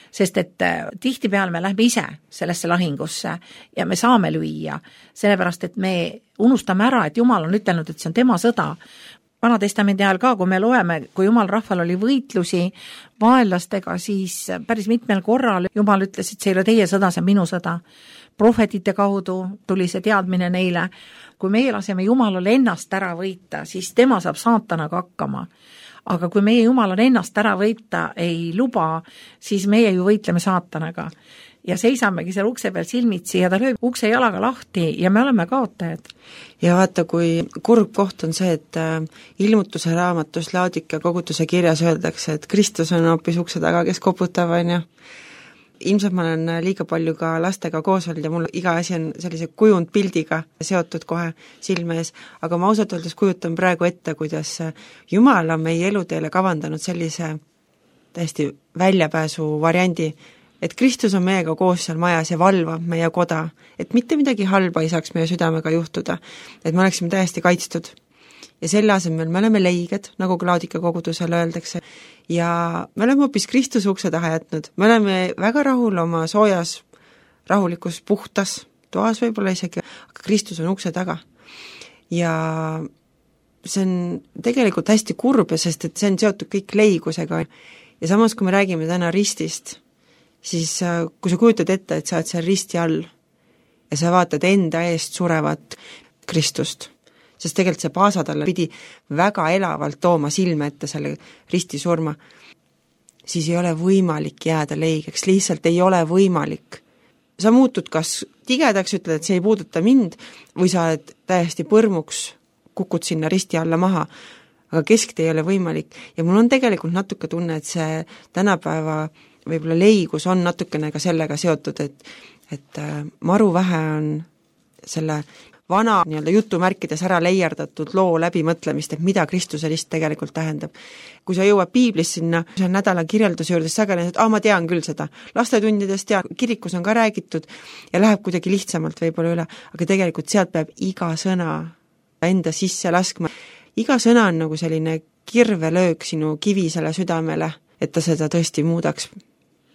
Sest et tihtipeal me lähme ise sellesse lahingusse ja me saame lüüa, sellepärast et me unustame ära, et Jumal on ütelnud, et see on tema sõda. Vanatestamendi ajal ka, kui me loeme, kui Jumal rahval oli võitlusi vaenlastega, siis päris mitmel korral Jumal ütles, et see ei ole teie sõda, see on minu sõda. Prohvetite kaudu tuli see teadmine neile. Kui meie laseme Jumalale ennast ära võita, siis tema saab saatanaga hakkama. Aga kui meie Jumal on ennast ära võita ei luba, siis meie ju võitleme saatanaga. Ja seisamegi seal ukse peal silmitsi ja ta lööb ukse jalaga lahti ja me oleme kaotajad. Ja vaata, kui kurb koht on see, et ilmutuse raamatus Laodikea koguduse kirjas öeldakse, et Kristus on hoopis ukse taga, kes koputab, on ju. Ilmselt ma olen liiga palju ka lastega koos olnud ja mul iga asi on sellise kujundpildiga seotud kohe silme ees, aga ma ausalt öeldes kujutan praegu ette, kuidas Jumal on meie eluteele kavandanud sellise täiesti väljapääsu variandi, et Kristus on meiega koos seal majas ja valvab meie koda, et mitte midagi halba ei saaks meie südamega juhtuda, et me oleksime täiesti kaitstud. Ja selle asemel me oleme leiged, nagu Laodikea kogudusele öeldakse, ja me oleme hoopis Kristuse ukse taha jätnud. Me oleme väga rahul oma soojas, rahulikus, puhtas toas võib-olla isegi, aga Kristus on ukse taga. Ja see on tegelikult hästi kurb, sest et see on seotud kõik leigusega. Ja samas, kui me räägime täna ristist, siis kui sa kujutad ette, et sa oled seal risti all ja sa vaatad enda eest surevat Kristust, sest tegelikult see paasatalle pidi väga elavalt tooma silme ette selle risti surma, siis ei ole võimalik jääda leigeks, lihtsalt ei ole võimalik. Sa muutud kas tigedaks, ütled, et see ei puuduta mind, või sa oled täiesti põrmuks, kukud sinna risti alla maha, aga kesktee ei ole võimalik. Ja mul on tegelikult natuke tunne, et see tänapäeva võib-olla leigus on natukene ka sellega seotud, et maru vähe on selle vana nii-öelda jutumärkides ära leierdatud loo läbimõtlemist, et mida Kristuse rist tegelikult tähendab. Kui sa jõuad piiblis sinna nädala kirjelduse juurde, siis sageli, et ma tean küll seda. Lastetundidest ja kirikus on ka räägitud ja läheb kuidagi lihtsamalt võib-olla üle, aga tegelikult sealt peab iga sõna enda sisse laskma. Iga sõna on nagu selline kirvelöök sinu kivisele südamele, et ta seda tõesti muudaks.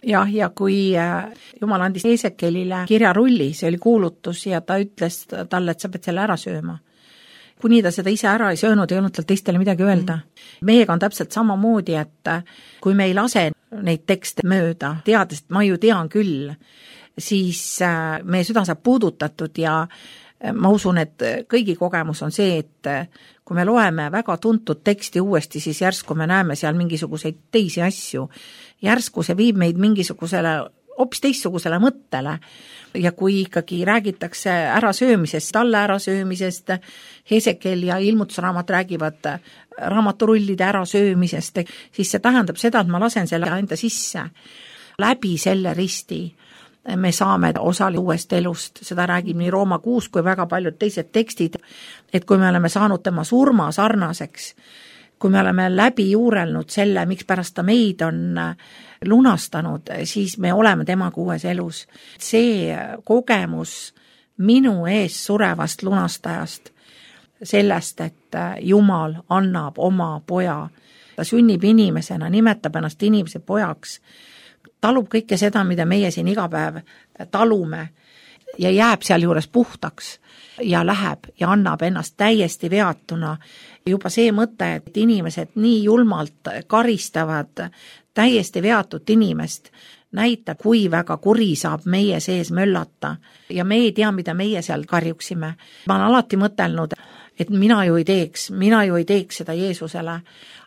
Ja kui Jumal andis Eesekelile kirjarulli, see oli kuulutus ja ta ütles talle, et sa pead selle ära sööma. Kuni ta seda ise ära ei söönud, ei olnud tal teistele midagi öelda. Meiega on täpselt samamoodi, et kui me ei lase neid tekste mööda, teades, et ma ju tean küll, siis meie süda saab puudutatud ja ma usun, et kõigi kogemus on see, et kui me loeme väga tuntud teksti uuesti, siis järsku me näeme seal mingisuguseid teisi asju. Järsku see viib meid mingisugusele hoopis teistsugusele mõttele ja kui ikkagi räägitakse ärasöömisest, talle ärasöömisest, Hesekel ja ilmutusraamat räägivad raamaturullide ärasöömisest, siis see tähendab seda, et ma lasen selle enda sisse. Läbi selle risti me saame osali uuest elust, seda räägib nii Rooma 6 kui väga paljud teised tekstid, et kui me oleme saanud tema surma sarnaseks, kui me oleme läbi juurelnud selle, miks pärast ta meid on lunastanud, siis me oleme temaga uues elus. See kogemus minu ees surevast lunastajast, sellest, et Jumal annab oma poja, ta sünnib inimesena, nimetab ennast inimese pojaks, talub kõike seda, mida meie siin iga päev talume ja jääb seal juures puhtaks ja läheb ja annab ennast täiesti veatuna. Juba see mõte, et inimesed nii julmalt karistavad täiesti veatut inimest, näitab, kui väga kuri saab meie sees möllata ja me ei tea, mida meie seal karjuksime. Ma olen alati mõtelnud, et mina ju ei teeks seda Jeesusele,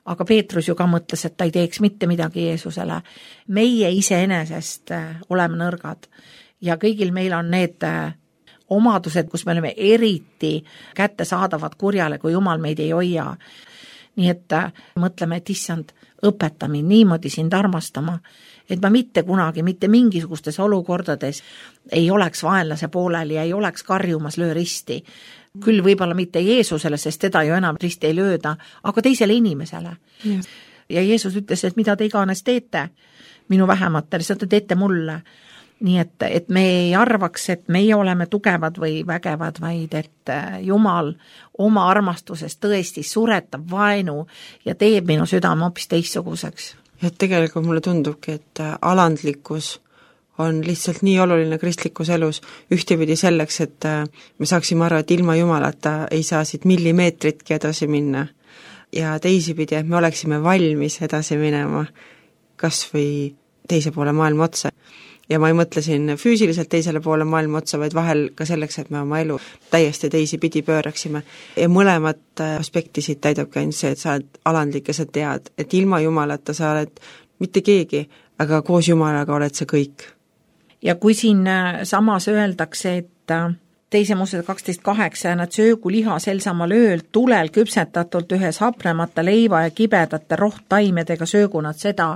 aga Peetrus ju ka mõtles, et ta ei teeks mitte midagi Jeesusele. Meie iseenesest oleme nõrgad ja kõigil meil on need omadused, kus me oleme eriti kättesaadavad kurjale, kui Jumal meid ei hoia. Nii et mõtleme, et issand, õpeta mind niimoodi sind armastama, et ma mitte kunagi, mitte mingisugustes olukordades ei oleks vaenlase poolel ja ei oleks karjumas löö risti. Küll võib-olla mitte Jeesusele, sest teda ju enam risti ei lööda, aga teisele inimesele. Ja Jeesus ütles, et mida te iganes teete minu vähematele, seda te teete mulle. Nii et me ei arvaks, et meie oleme tugevad või vägevad, vaid et Jumal oma armastusest tõesti suretab vaenu ja teeb minu südame hoopis teistsuguseks. Et tegelikult mulle tundubki, et alandlikkus on lihtsalt nii oluline kristlikus elus ühtepidi selleks, et me saaksime aru, et ilma Jumalata ei saa siit millimeetritki edasi minna. Ja teisipidi, et me oleksime valmis edasi minema kas või teise poole maailma otsa. Ja ma ei mõtle siin füüsiliselt teisele poole maailma otsa, vaid vahel ka selleks, et me oma elu täiesti teisi pidi pööraksime. Ja mõlemat aspekti siit täidabki ainult see, et sa oled alandlik ja sa tead, et ilma Jumalata sa oled mitte keegi, aga koos Jumalaga oled sa kõik. Ja kui siin samas öeldakse, et teise Moosese 12.8 nad söögu liha sel samal ööl tulel küpsetatult ühes hapnemata leiva ja kibedate rohttaimedega söögu nad seda,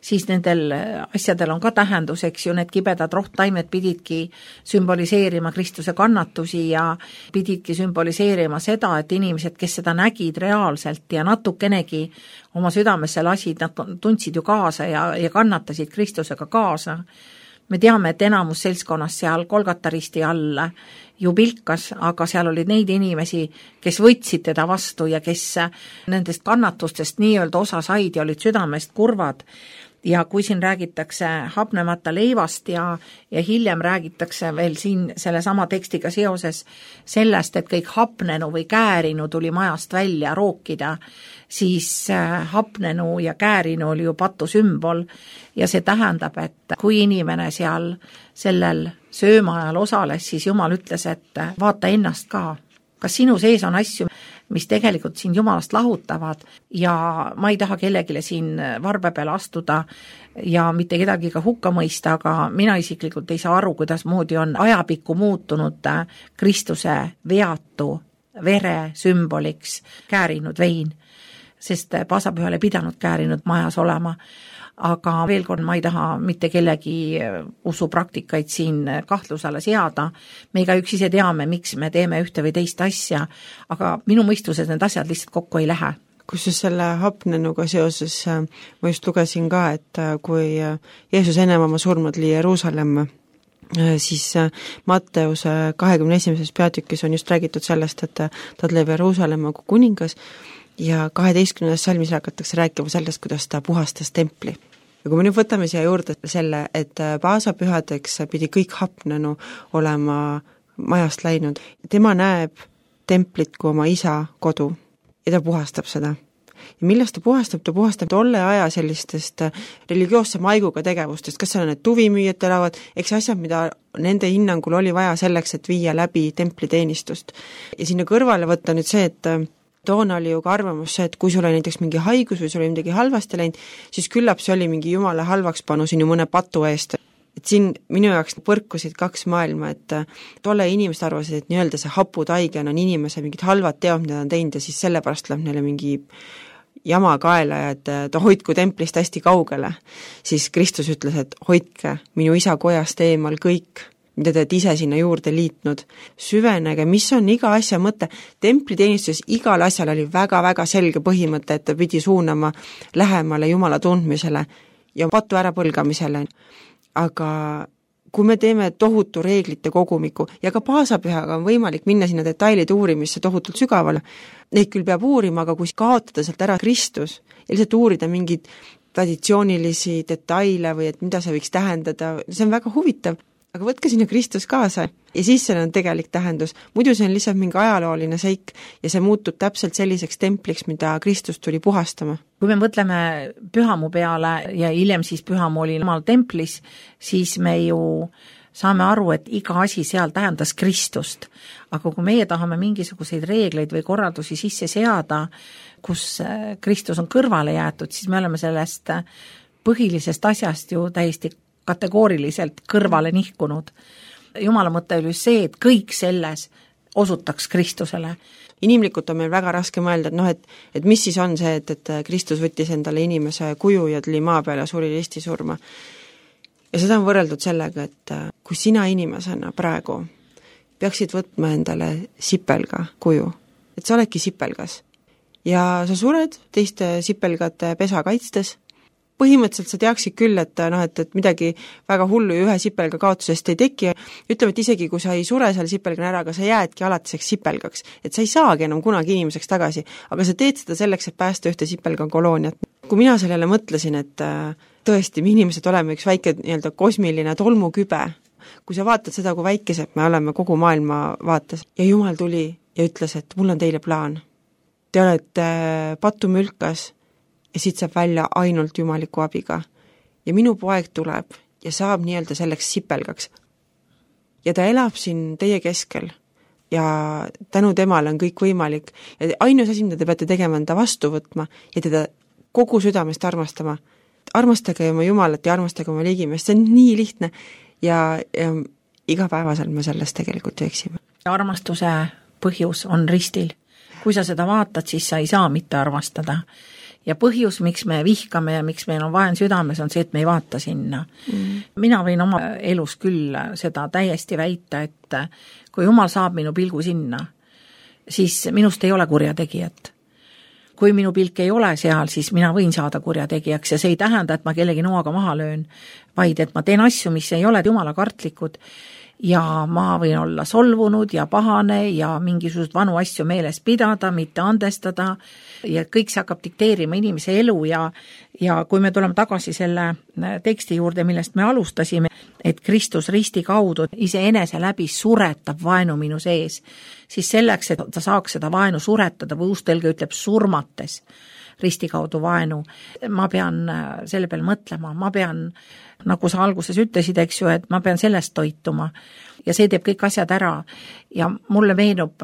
siis nendel asjadel on ka tähendus, eks ju, need kibedad rohttaimed pididki sümboliseerima Kristuse kannatusi ja pididki sümboliseerima seda, et inimesed, kes seda nägid reaalselt ja natukenegi oma südamesse lasid, nad tundsid ju kaasa ja kannatasid Kristusega kaasa. Me teame, et enamus seltskonnas seal Golgata risti all ju pilkas, aga seal olid neid inimesi, kes võtsid teda vastu ja kes nendest kannatustest nii-öelda osa said ja olid südamest kurvad. Ja kui siin räägitakse hapnemata leivast ja hiljem räägitakse veel siin selle sama tekstiga seoses sellest, et kõik hapnenu või käärinu tuli majast välja rookida, siis hapnenu ja käärinu oli ju patu sümbol ja see tähendab, et kui inimene seal sellel söömaajal osales, siis Jumal ütles, et vaata ennast ka. Kas sinu sees on asju, mis tegelikult sind Jumalast lahutavad ja ma ei taha kellegile siin varbe peale astuda ja mitte kedagi ka hukka mõista, aga mina isiklikult ei saa aru, kuidas moodi on ajapikku muutunud Kristuse veatu vere sümboliks käärinud vein, sest paasapühal ei pidanud käärinud majas olema. Aga veel kord ma ei taha mitte kellegi usupraktikaid siin kahtlusele seada. Me igaüks ise teame, miks me teeme ühte või teist asja, aga minu mõistuses need asjad lihtsalt kokku ei lähe. Kusjuures selle hapnenuga seoses ma just lugesin ka, et kui Jeesus ennem oma surma tuli Jeruusalemma, siis Matteuse 21. peatükis on just räägitud sellest, et ta tuleb Jeruusalemma kui kuningas ja 12. salmis hakatakse rääkima sellest, kuidas ta puhastas templi. Ja kui me nüüd võtame siia juurde selle, et paasapühadeks pidi kõik hapnenu olema majast läinud, tema näeb templit kui oma isa kodu ja ta puhastab seda. ja millest ta puhastab tolle aja sellistest religioosse maiguga tegevustest, kas seal on need tuvimüüjad elavad, eks asjad, mida nende hinnangul oli vaja selleks, et viia läbi templiteenistust. Ja sinna kõrvale võtta nüüd see, et toona oli ju ka arvamus see, et kui sul oli näiteks mingi haigus või sul oli midagi halvasti läinud, siis küllap see oli mingi jumala halvaks panu sinu mõne patu eest. Et siin minu jaoks põrkusid kaks maailma, et tolle inimesed arvasid, et nii-öelda see haputaige on inimese mingid halvad teod, mida on teinud ja siis sellepärast läheb neile mingi jama kaela ja et hoidku templist hästi kaugele. Siis Kristus ütles, et hoidke minu isa kojast eemal kõik, mida te olete ise sinna juurde liitnud. Süvenege, mis on iga asja mõte. Templiteenistuses igal asjal oli väga-väga selge põhimõte, et ta pidi suunama lähemale Jumala tundmisele ja patu ärapõlgamisele. Aga kui me teeme tohutu reeglite kogumiku ja ka paasapühaga on võimalik minna sinna detailide uurimisse tohutult sügavale, neid küll peab uurima, aga kui kaotada sealt ära Kristus ja lihtsalt uurida mingeid traditsioonilisi detaile või et mida see võiks tähendada, see on väga huvitav. Aga võtke sinna Kristus kaasa ja siis seal on tegelik tähendus. Muidu see on lihtsalt mingi ajalooline seik ja see muutub täpselt selliseks templiks, mida Kristus tuli puhastama. Kui me mõtleme pühamu peale ja hiljem siis pühamu oli omal templis, siis me ju saame aru, et iga asi seal tähendas Kristust. Aga kui meie tahame mingisuguseid reegleid või korraldusi sisse seada, kus Kristus on kõrvale jäetud, siis me oleme sellest põhilisest asjast ju täiesti kategooriliselt kõrvale nihkunud. Jumala mõte oli see, et kõik selles osutaks Kristusele. Inimlikult on meil väga raske mõelda, et mis siis on see, et Kristus võttis endale inimese kuju ja tuli maa peale ja suri ristisurma. Ja seda on võrreldud sellega, et kui sina inimesena praegu peaksid võtma endale sipelga kuju, et sa oledki sipelgas ja sa sured teiste sipelgate pesa kaitstes, põhimõtteliselt sa teaksid küll, et midagi väga hullu ja ühe sipelga kaotusest ei teki. Ütleme, et isegi kui sa ei sure seal sipelgana ära, aga sa jäädki alatiseks sipelgaks, et sa ei saagi enam kunagi inimeseks tagasi, aga sa teed seda selleks, et päästa ühte sipelga kolooniat. Kui mina sellele mõtlesin, et tõesti, me inimesed oleme üks väike nii-öelda kosmiline tolmukübe, kui sa vaatad seda, kui väikesed me oleme kogu maailma vaates ja Jumal tuli ja ütles, et mul on teile plaan. Te olete patumülkas ja siit saab välja ainult jumaliku abiga. Ja minu poeg tuleb ja saab nii-öelda selleks sipelgaks. Ja ta elab siin teie keskel ja tänu temale on kõik võimalik. Ja ainus asi, mida te peate tegema, on ta vastu võtma ja teda kogu südamest armastama. Armastage oma Jumalat ja armastage oma ligimest. See on nii lihtne ja igapäevaselt me sellest tegelikult eksime. Armastuse põhjus on ristil. Kui sa seda vaatad, siis sa ei saa mitte armastada. Ja põhjus, miks me vihkame ja miks meil on vaen südames, on see, et me ei vaata sinna. Mina võin oma elus küll seda täiesti väita, et kui Jumal saab minu pilgu sinna, siis minust ei ole kurjategijat. Kui minu pilk ei ole seal, siis mina võin saada kurjategijaks ja see ei tähenda, et ma kellegi noaga maha löön, vaid et ma teen asju, mis ei ole Jumala kartlikud ja ma võin olla solvunud ja pahane ja mingisugust vanu asju meeles pidada, mitte andestada ja kõik see hakkab dikteerima inimese elu ja kui me tuleme tagasi selle teksti juurde, millest me alustasime, et Kristus risti kaudu iseenese läbi suretab vaenu minu sees, siis selleks, et ta saaks seda vaenu suretada või uustõlge ütleb surmates risti kaudu vaenu, ma pean selle peale mõtlema, ma pean, nagu sa alguses ütlesid, eks ju, et ma pean sellest toituma ja see teeb kõik asjad ära ja mulle meenub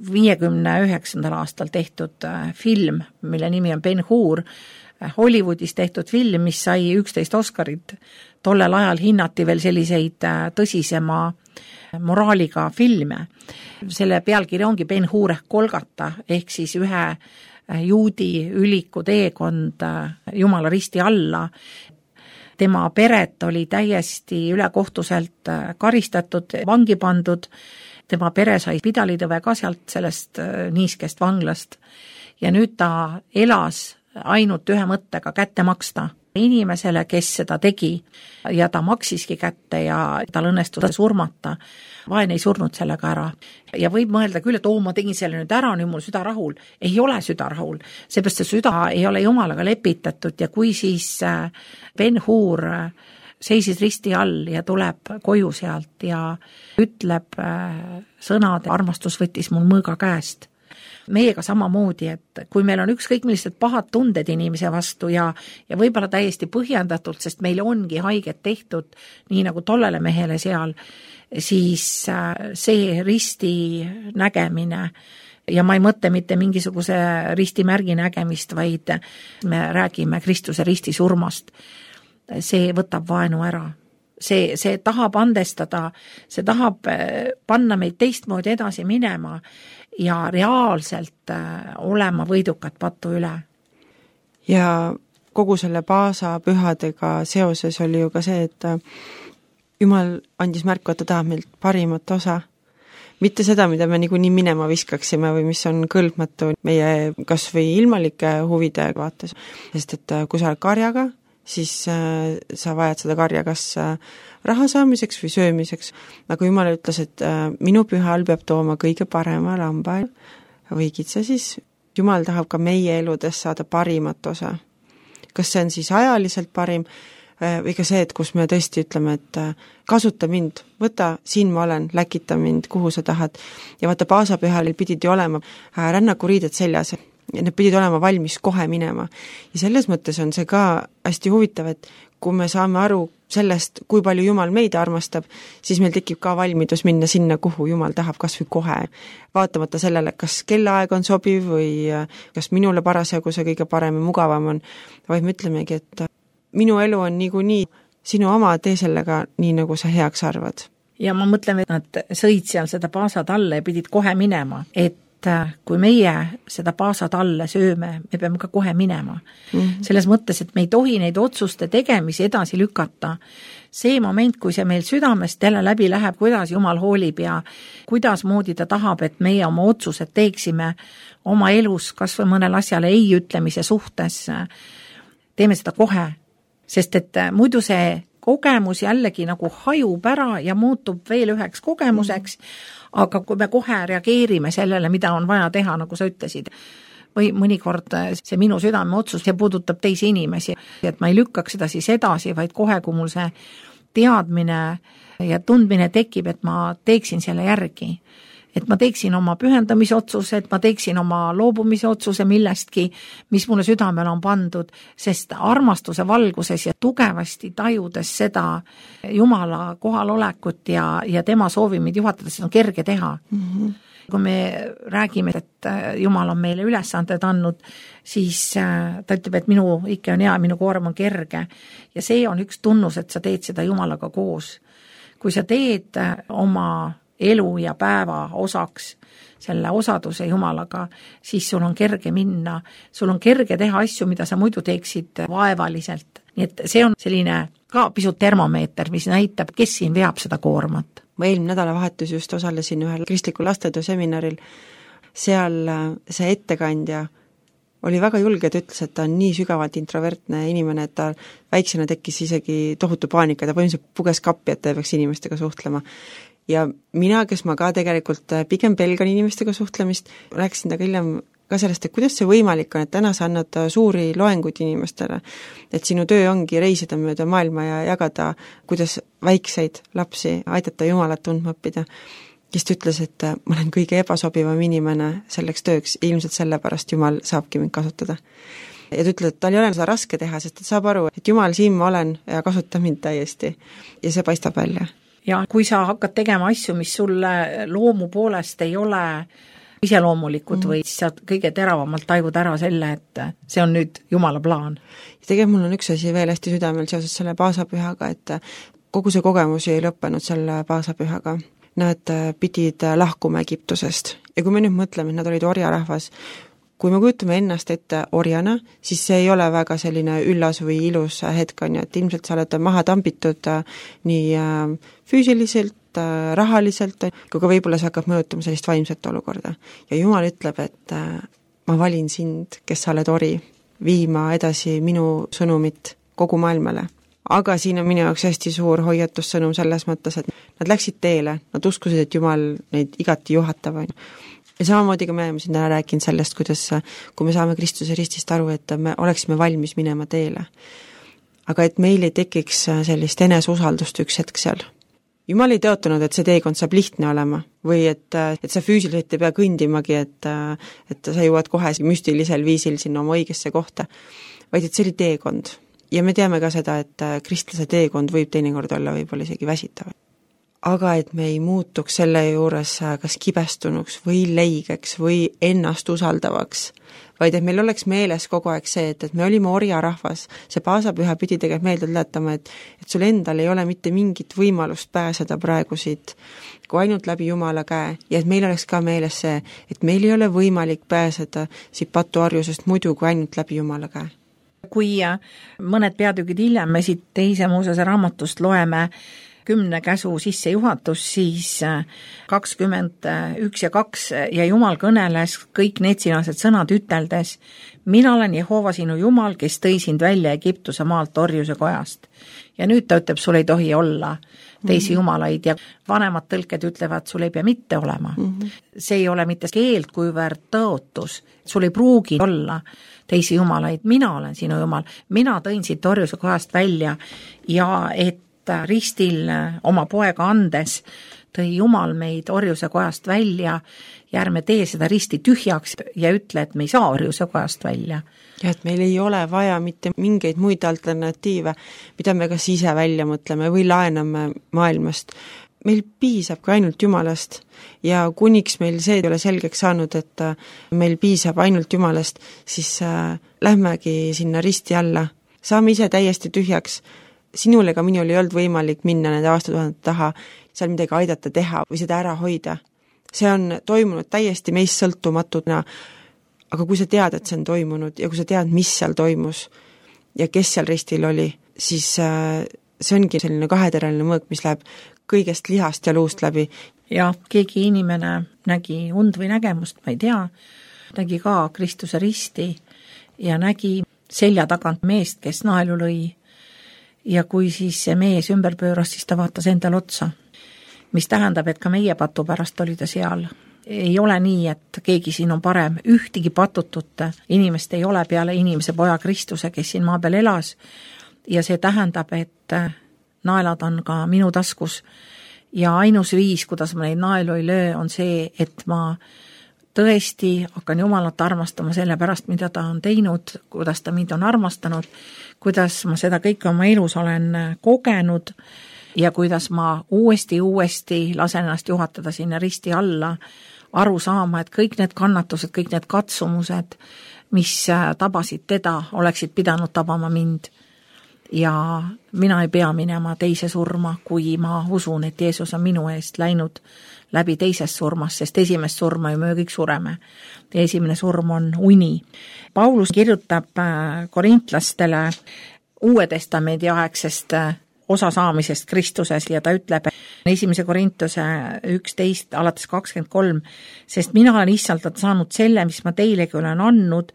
59. aastal tehtud film, mille nimi on Ben-Hur, Hollywoodis tehtud film, mis sai 11 Oscarit. Tollel ajal hinnati veel selliseid tõsisema moraaliga filme. Selle pealkiri ongi Ben-Hur ehk Golgata, ehk siis ühe juudi üliku teekond Jumala risti alla. Tema peret oli täiesti ülekohtuselt karistatud, vangi pandud. Tema pere sai pidalitõve ka sealt sellest niiskest vanglast. Ja nüüd ta elas ainult ühe mõttega kätte maksta inimesele, kes seda tegi ja ta maksiski kätte ja tal õnnestus surmata. Vaen ei surnud sellega ära. Ja võib mõelda küll, et ma tegin selle nüüd ära, nüüd mul süda rahul. Ei ole süda rahul, seepärast see süda ei ole Jumalaga lepitatud ja kui siis Ben-Hur seisis risti all ja tuleb koju sealt ja ütleb sõnad, armastus võttis mul mõõga käest. meiega samamoodi, et kui meil on ükskõik millised pahad tunded inimese vastu ja võib-olla täiesti põhjendatult, sest meile ongi haiget tehtud, nii nagu tollele mehele seal, siis see risti nägemine, ja ma ei mõtle mitte mingisuguse ristimärgi nägemist, vaid me räägime Kristuse risti surmast. See võtab vaenu ära. See tahab andestada, see tahab panna meid teistmoodi edasi minema ja reaalselt olema võidukad patu üle. Ja kogu selle Paasa pühadega seoses oli ju ka see, et Jumal andis märku, et ta tahab meilt parimat osa. Mitte seda, mida me niikuinii minema viskaksime või mis on kõlbmatu meie kas või ilmalike huvide vaates. Sest et kui sa oled karjaga, siis sa vajad seda karja kas raha saamiseks või söömiseks. Aga Jumal ütles, et minu pühal peab tooma kõige parema lamba või kitsa, siis Jumal tahab ka meie eludes saada parimat osa. Kas see on siis ajaliselt parim või ka see, et kus me tõesti ütleme, et kasuta mind, võta, siin ma olen, läkita mind, kuhu sa tahad. Ja vaata, Paasapühal pidid ju olema rännakuriided seljas, ja need pidid olema valmis kohe minema. Ja selles mõttes on see ka hästi huvitav, et kui me saame aru sellest, kui palju Jumal meid armastab, siis meil tekib ka valmidus minna sinna, kuhu Jumal tahab kas või kohe. Vaatamata sellele, kas kellaaeg on sobiv või kas minule parasjagu see kõige parem ja mugavam on, vaid me ütlemegi, et minu elu on niikuinii sinu oma, tee sellega nii, nagu sa heaks arvad. Ja ma mõtlen, et nad sõid seal seda paasatalle ja pidid kohe minema, et kui meie seda paasatalle sööme, me peame ka kohe minema. Selles mõttes, et me ei tohi neid otsuste tegemisi edasi lükata. See moment, kui see meil südamest jälle läbi läheb, kuidas Jumal hoolib ja kuidas moodi ta tahab, et meie oma otsused teeksime oma elus, kas või mõnel asjale ei ütlemise suhtes, teeme seda kohe. Sest et muidu see kogemus jällegi nagu hajub ära ja muutub veel üheks kogemuseks, aga kui me kohe reageerime sellele, mida on vaja teha, nagu sa ütlesid, või mõnikord see minu südame otsus, see puudutab teisi inimesi, et ma ei lükkaks seda siis edasi, vaid kohe, kui mul see teadmine ja tundmine tekib, et ma teeksin selle järgi. Et ma teeksin oma pühendamisotsuse, et ma teeksin oma loobumise otsuse millestki, mis mulle südamele on pandud, sest armastuse valguses ja tugevasti tajudes seda Jumala kohalolekut ja tema soovimid juhatades on kerge teha. Kui me räägime, et Jumal on meile ülesanded andnud, siis ta ütleb, et minu ikke on hea, minu koorem on kerge ja see on üks tunnus, et sa teed seda Jumalaga koos. Kui sa teed oma elu ja päeva osaks selle osaduse Jumalaga, siis sul on kerge minna, sul on kerge teha asju, mida sa muidu teeksid vaevaliselt. Nii et see on selline ka pisut termomeeter, mis näitab, kes siin veab seda koormat. Ma eelmine nädalavahetus just osalesin ühel kristlikul lastetöö seminaril, seal see ettekandja oli väga julge, et ütles, et ta on nii sügavalt introvertne inimene, et ta väiksena tekkis isegi tohutu paanika, ta põhimõtteliselt puges kappi, et ta peaks inimestega suhtlema. Ja mina, kes ma ka tegelikult pigem pelgan inimestega suhtlemist, rääkisin taga hiljem ka sellest, et kuidas see võimalik on, et täna sa annad suuri loenguid inimestele, et sinu töö ongi reisida mööda maailma ja jagada, kuidas väikseid lapsi aidata Jumalat tundma õppida. Kes ta ütles, et ma olen kõige ebasobivam inimene selleks tööks, ilmselt sellepärast Jumal saabki mind kasutada. Ja ta ütleb, et tal ei ole seda raske teha, sest ta saab aru, et Jumal, siin ma olen ja kasuta mind täiesti. Ja see paistab välja. Ja kui sa hakkad tegema asju, mis sulle loomu poolest ei ole iseloomulikud või sa kõige teravamalt tajud ära selle, et see on nüüd Jumala plaan. Ja tegelikult mul on üks asi veel hästi südamel seoses selle paasapühaga, et kogu see kogemus ei lõppenud selle paasapühaga. Nad pidid lahkuma Egiptusest. Ja kui me nüüd mõtleme, et nad olid orjarahvas, kui me kujutame ennast ette orjana, siis see ei ole väga selline üllas või ilus hetk on ju, et ilmselt sa oled maha tambitud nii füüsiliselt, rahaliselt, kui ka võib-olla see hakkab mõjutama sellist vaimset olukorda. Ja Jumal ütleb, et ma valin sind, kes sa oled ori, viima edasi minu sõnumit kogu maailmale. Aga siin on minu jaoks hästi suur hoiatussõnum selles mõttes, et nad läksid teele, nad uskusid, et Jumal neid igati juhatab. Ja samamoodi ka me oleme siin täna rääkinud sellest, kuidas, kui me saame Kristuse ristist aru, et me oleksime valmis minema teele. Aga et meil ei tekiks sellist eneseusaldust üks hetk seal. Jumal ei tõotanud, et see teekond saab lihtne olema või et sa füüsiliselt ei pea kõndimagi, et sa jõuad kohe müstilisel viisil sinna oma õigesse kohta, vaid et see oli teekond. Ja me teame ka seda, et kristlase teekond võib teinekord olla võib-olla isegi väsitav. Aga et me ei muutuks selle juures kas kibestunuks või leigeks või ennast usaldavaks, vaid et meil oleks meeles kogu aeg see, et me olime orjarahvas, see paasapüha pidi tegelikult meelde tuletama, et sul endal ei ole mitte mingit võimalust pääseda praegu siit, kui ainult läbi Jumala käe, ja et meil oleks ka meeles see, et meil ei ole võimalik pääseda siit patuarjusest muidu kui ainult läbi Jumala käe. Kui mõned peatükid hiljem me siit Teise Moosese raamatust loeme 10 käsu sissejuhatus, siis 21 ja 2 ja Jumal kõneles kõik needsinased sõnad üteldes, mina olen Jehova sinu Jumal, kes tõi sind välja Egiptuse maalt orjuse kojast. Ja nüüd ta ütleb, sul ei tohi olla teisi jumalaid ja vanemad tõlked ütlevad, sul ei pea mitte olema. See ei ole mitte keeld, kuivõrd tõotus, sul ei pruugi olla teisi jumalaid, mina olen sinu Jumal, mina tõin siit orjuse kojast välja ja et ristil oma poega andes tõi Jumal meid orjuse kojast välja ja ärme tee seda risti tühjaks ja ütle, et me ei saa orjuse kojast välja. Ja et meil ei ole vaja mitte mingeid muid alternatiive, mida me kas ise välja mõtleme või laename maailmast. Meil piisab ka ainult Jumalast ja kuniks meil see ei ole selgeks saanud, et meil piisab ainult Jumalast, siis lähmegi sinna risti alla. Saame ise täiesti tühjaks. Sinul ega minul ei olnud võimalik minna nende aastatuhandete taha, seal midagi aidata teha või seda ära hoida. See on toimunud täiesti meist sõltumatuna, aga kui sa tead, et see on toimunud ja kui sa tead, mis seal toimus ja kes seal ristil oli, siis see ongi selline kaheteraline mõõk, mis läheb kõigest lihast ja luust läbi. Ja keegi inimene nägi und või nägemust, ma ei tea, nägi ka Kristuse risti ja nägi selja tagant meest, kes naelu lõi. Ja kui siis see mees ümber pööras, siis ta vaatas endal otsa, mis tähendab, et ka meie patu pärast oli ta seal. Ei ole nii, et keegi siin on parem, ühtigi patutut inimest ei ole peale inimese poja Kristuse, kes siin maa peal elas ja see tähendab, et naelad on ka minu taskus ja ainus viis, kuidas ma neid naelu ei löö, on see, et ma tõesti hakkan Jumalat armastama selle pärast, mida ta on teinud, kuidas ta mind on armastanud, kuidas ma seda kõike oma elus olen kogenud ja kuidas ma uuesti lasen ennast juhatada sinna risti alla, aru saama, et kõik need kannatused, kõik need katsumused, mis tabasid teda, oleksid pidanud tabama mind. Ja mina ei pea minema teise surma, kui ma usun, et Jeesus on minu eest läinud läbi teisest surmast, sest esimest surma ju me kõik sureme. Ja esimene surm on uni. Paulus kirjutab korintlastele Uue Testamendi aegsest osasaamisest Kristuses ja ta ütleb 1. Korintuse 11 alates 23, sest mina olen issandalt saanud selle, mis ma teilegi olen andnud,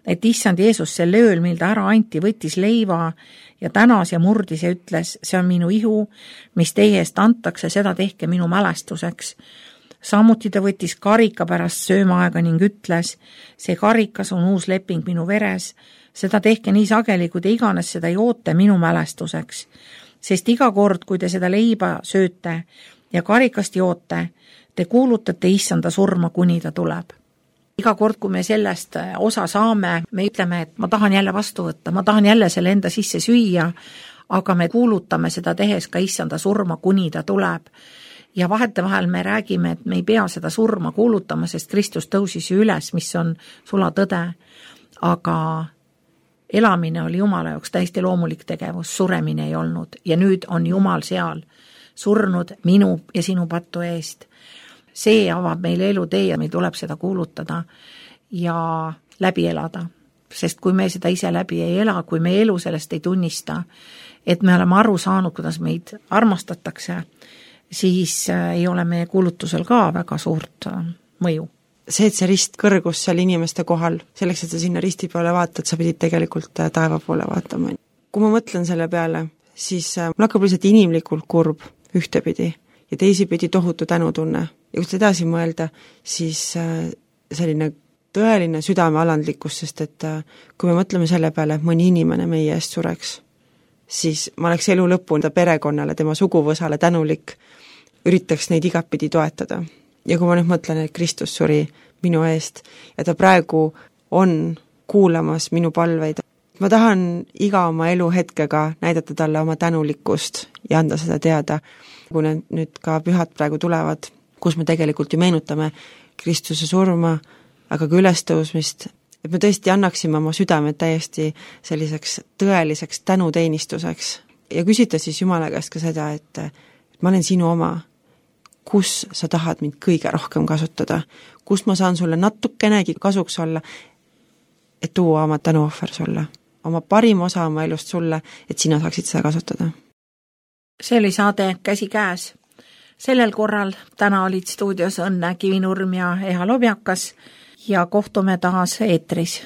et issand Jeesus selle ööl, mil ta ära anti, võttis leiva ja tänas ja murdis ja ütles, see on minu ihu, mis teie eest antakse, seda tehke minu mälestuseks. Samuti ta võttis karika pärast söömaaega ning ütles, see karikas on uus leping minu veres, seda tehke nii sageli, kui te iganes seda joote minu mälestuseks. Sest iga kord, kui te seda leiba sööte ja karikast joote, te kuulutate issanda surma, kuni ta tuleb. Iga kord, kui me sellest osa saame, me ütleme, et ma tahan jälle vastu võtta, ma tahan jälle selle enda sisse süüa, aga me kuulutame seda tehes ka issanda surma, kuni ta tuleb. Ja vahetevahel me räägime, et me ei pea seda surma kuulutama, sest Kristus tõusis ju üles, mis on sula tõde. Aga elamine oli Jumala jaoks täiesti loomulik tegevus, suremine ei olnud. Ja nüüd on Jumal seal surnud minu ja sinu pattu eest. See avab meile elutee ja meil tuleb seda kuulutada ja läbi elada. Sest kui me seda ise läbi ei ela, kui me elu sellest ei tunnista, et me oleme aru saanud, kuidas meid armastatakse, siis ei ole meie kuulutusel ka väga suurt mõju. See, et see rist kõrgus seal inimeste kohal, selleks, et sa sinna risti peale vaatad, sa pidid tegelikult taeva poole vaatama. Kui ma mõtlen selle peale, siis mul hakkab lihtsalt inimlikult kurb ühtepidi ja teisipidi tohutu tänutunne. Ja kui edasi mõelda, siis selline tõeline südamealandlikkus, sest et kui me mõtleme selle peale, et mõni inimene meie eest sureks, siis ma oleks elu lõpuni perekonnale, tema suguvõsale tänulik, üritaks neid igatpidi toetada. Ja kui ma nüüd mõtlen, et Kristus suri minu eest ja ta praegu on kuulamas minu palveid, ma tahan iga oma eluhetkega näidata talle oma tänulikkust ja anda seda teada, kui nüüd ka pühad praegu tulevad, kus me tegelikult ju meenutame Kristuse surma, aga ka ülestõusmist, et me tõesti annaksime oma südamed täiesti selliseks tõeliseks tänuteenistuseks ja küsida siis Jumala käest ka seda, et ma olen sinu oma, kus sa tahad mind kõige rohkem kasutada, kus ma saan sulle natukenegi kasuks olla, et tuua oma tänuohver sulle, oma parim osa oma elust sulle, et sina saaksid seda kasutada. See oli saade Käsikäes. Sellel korral täna olid stuudios Õnne Kivinurm ja Eha Lobjakas ja kohtume taas eetris.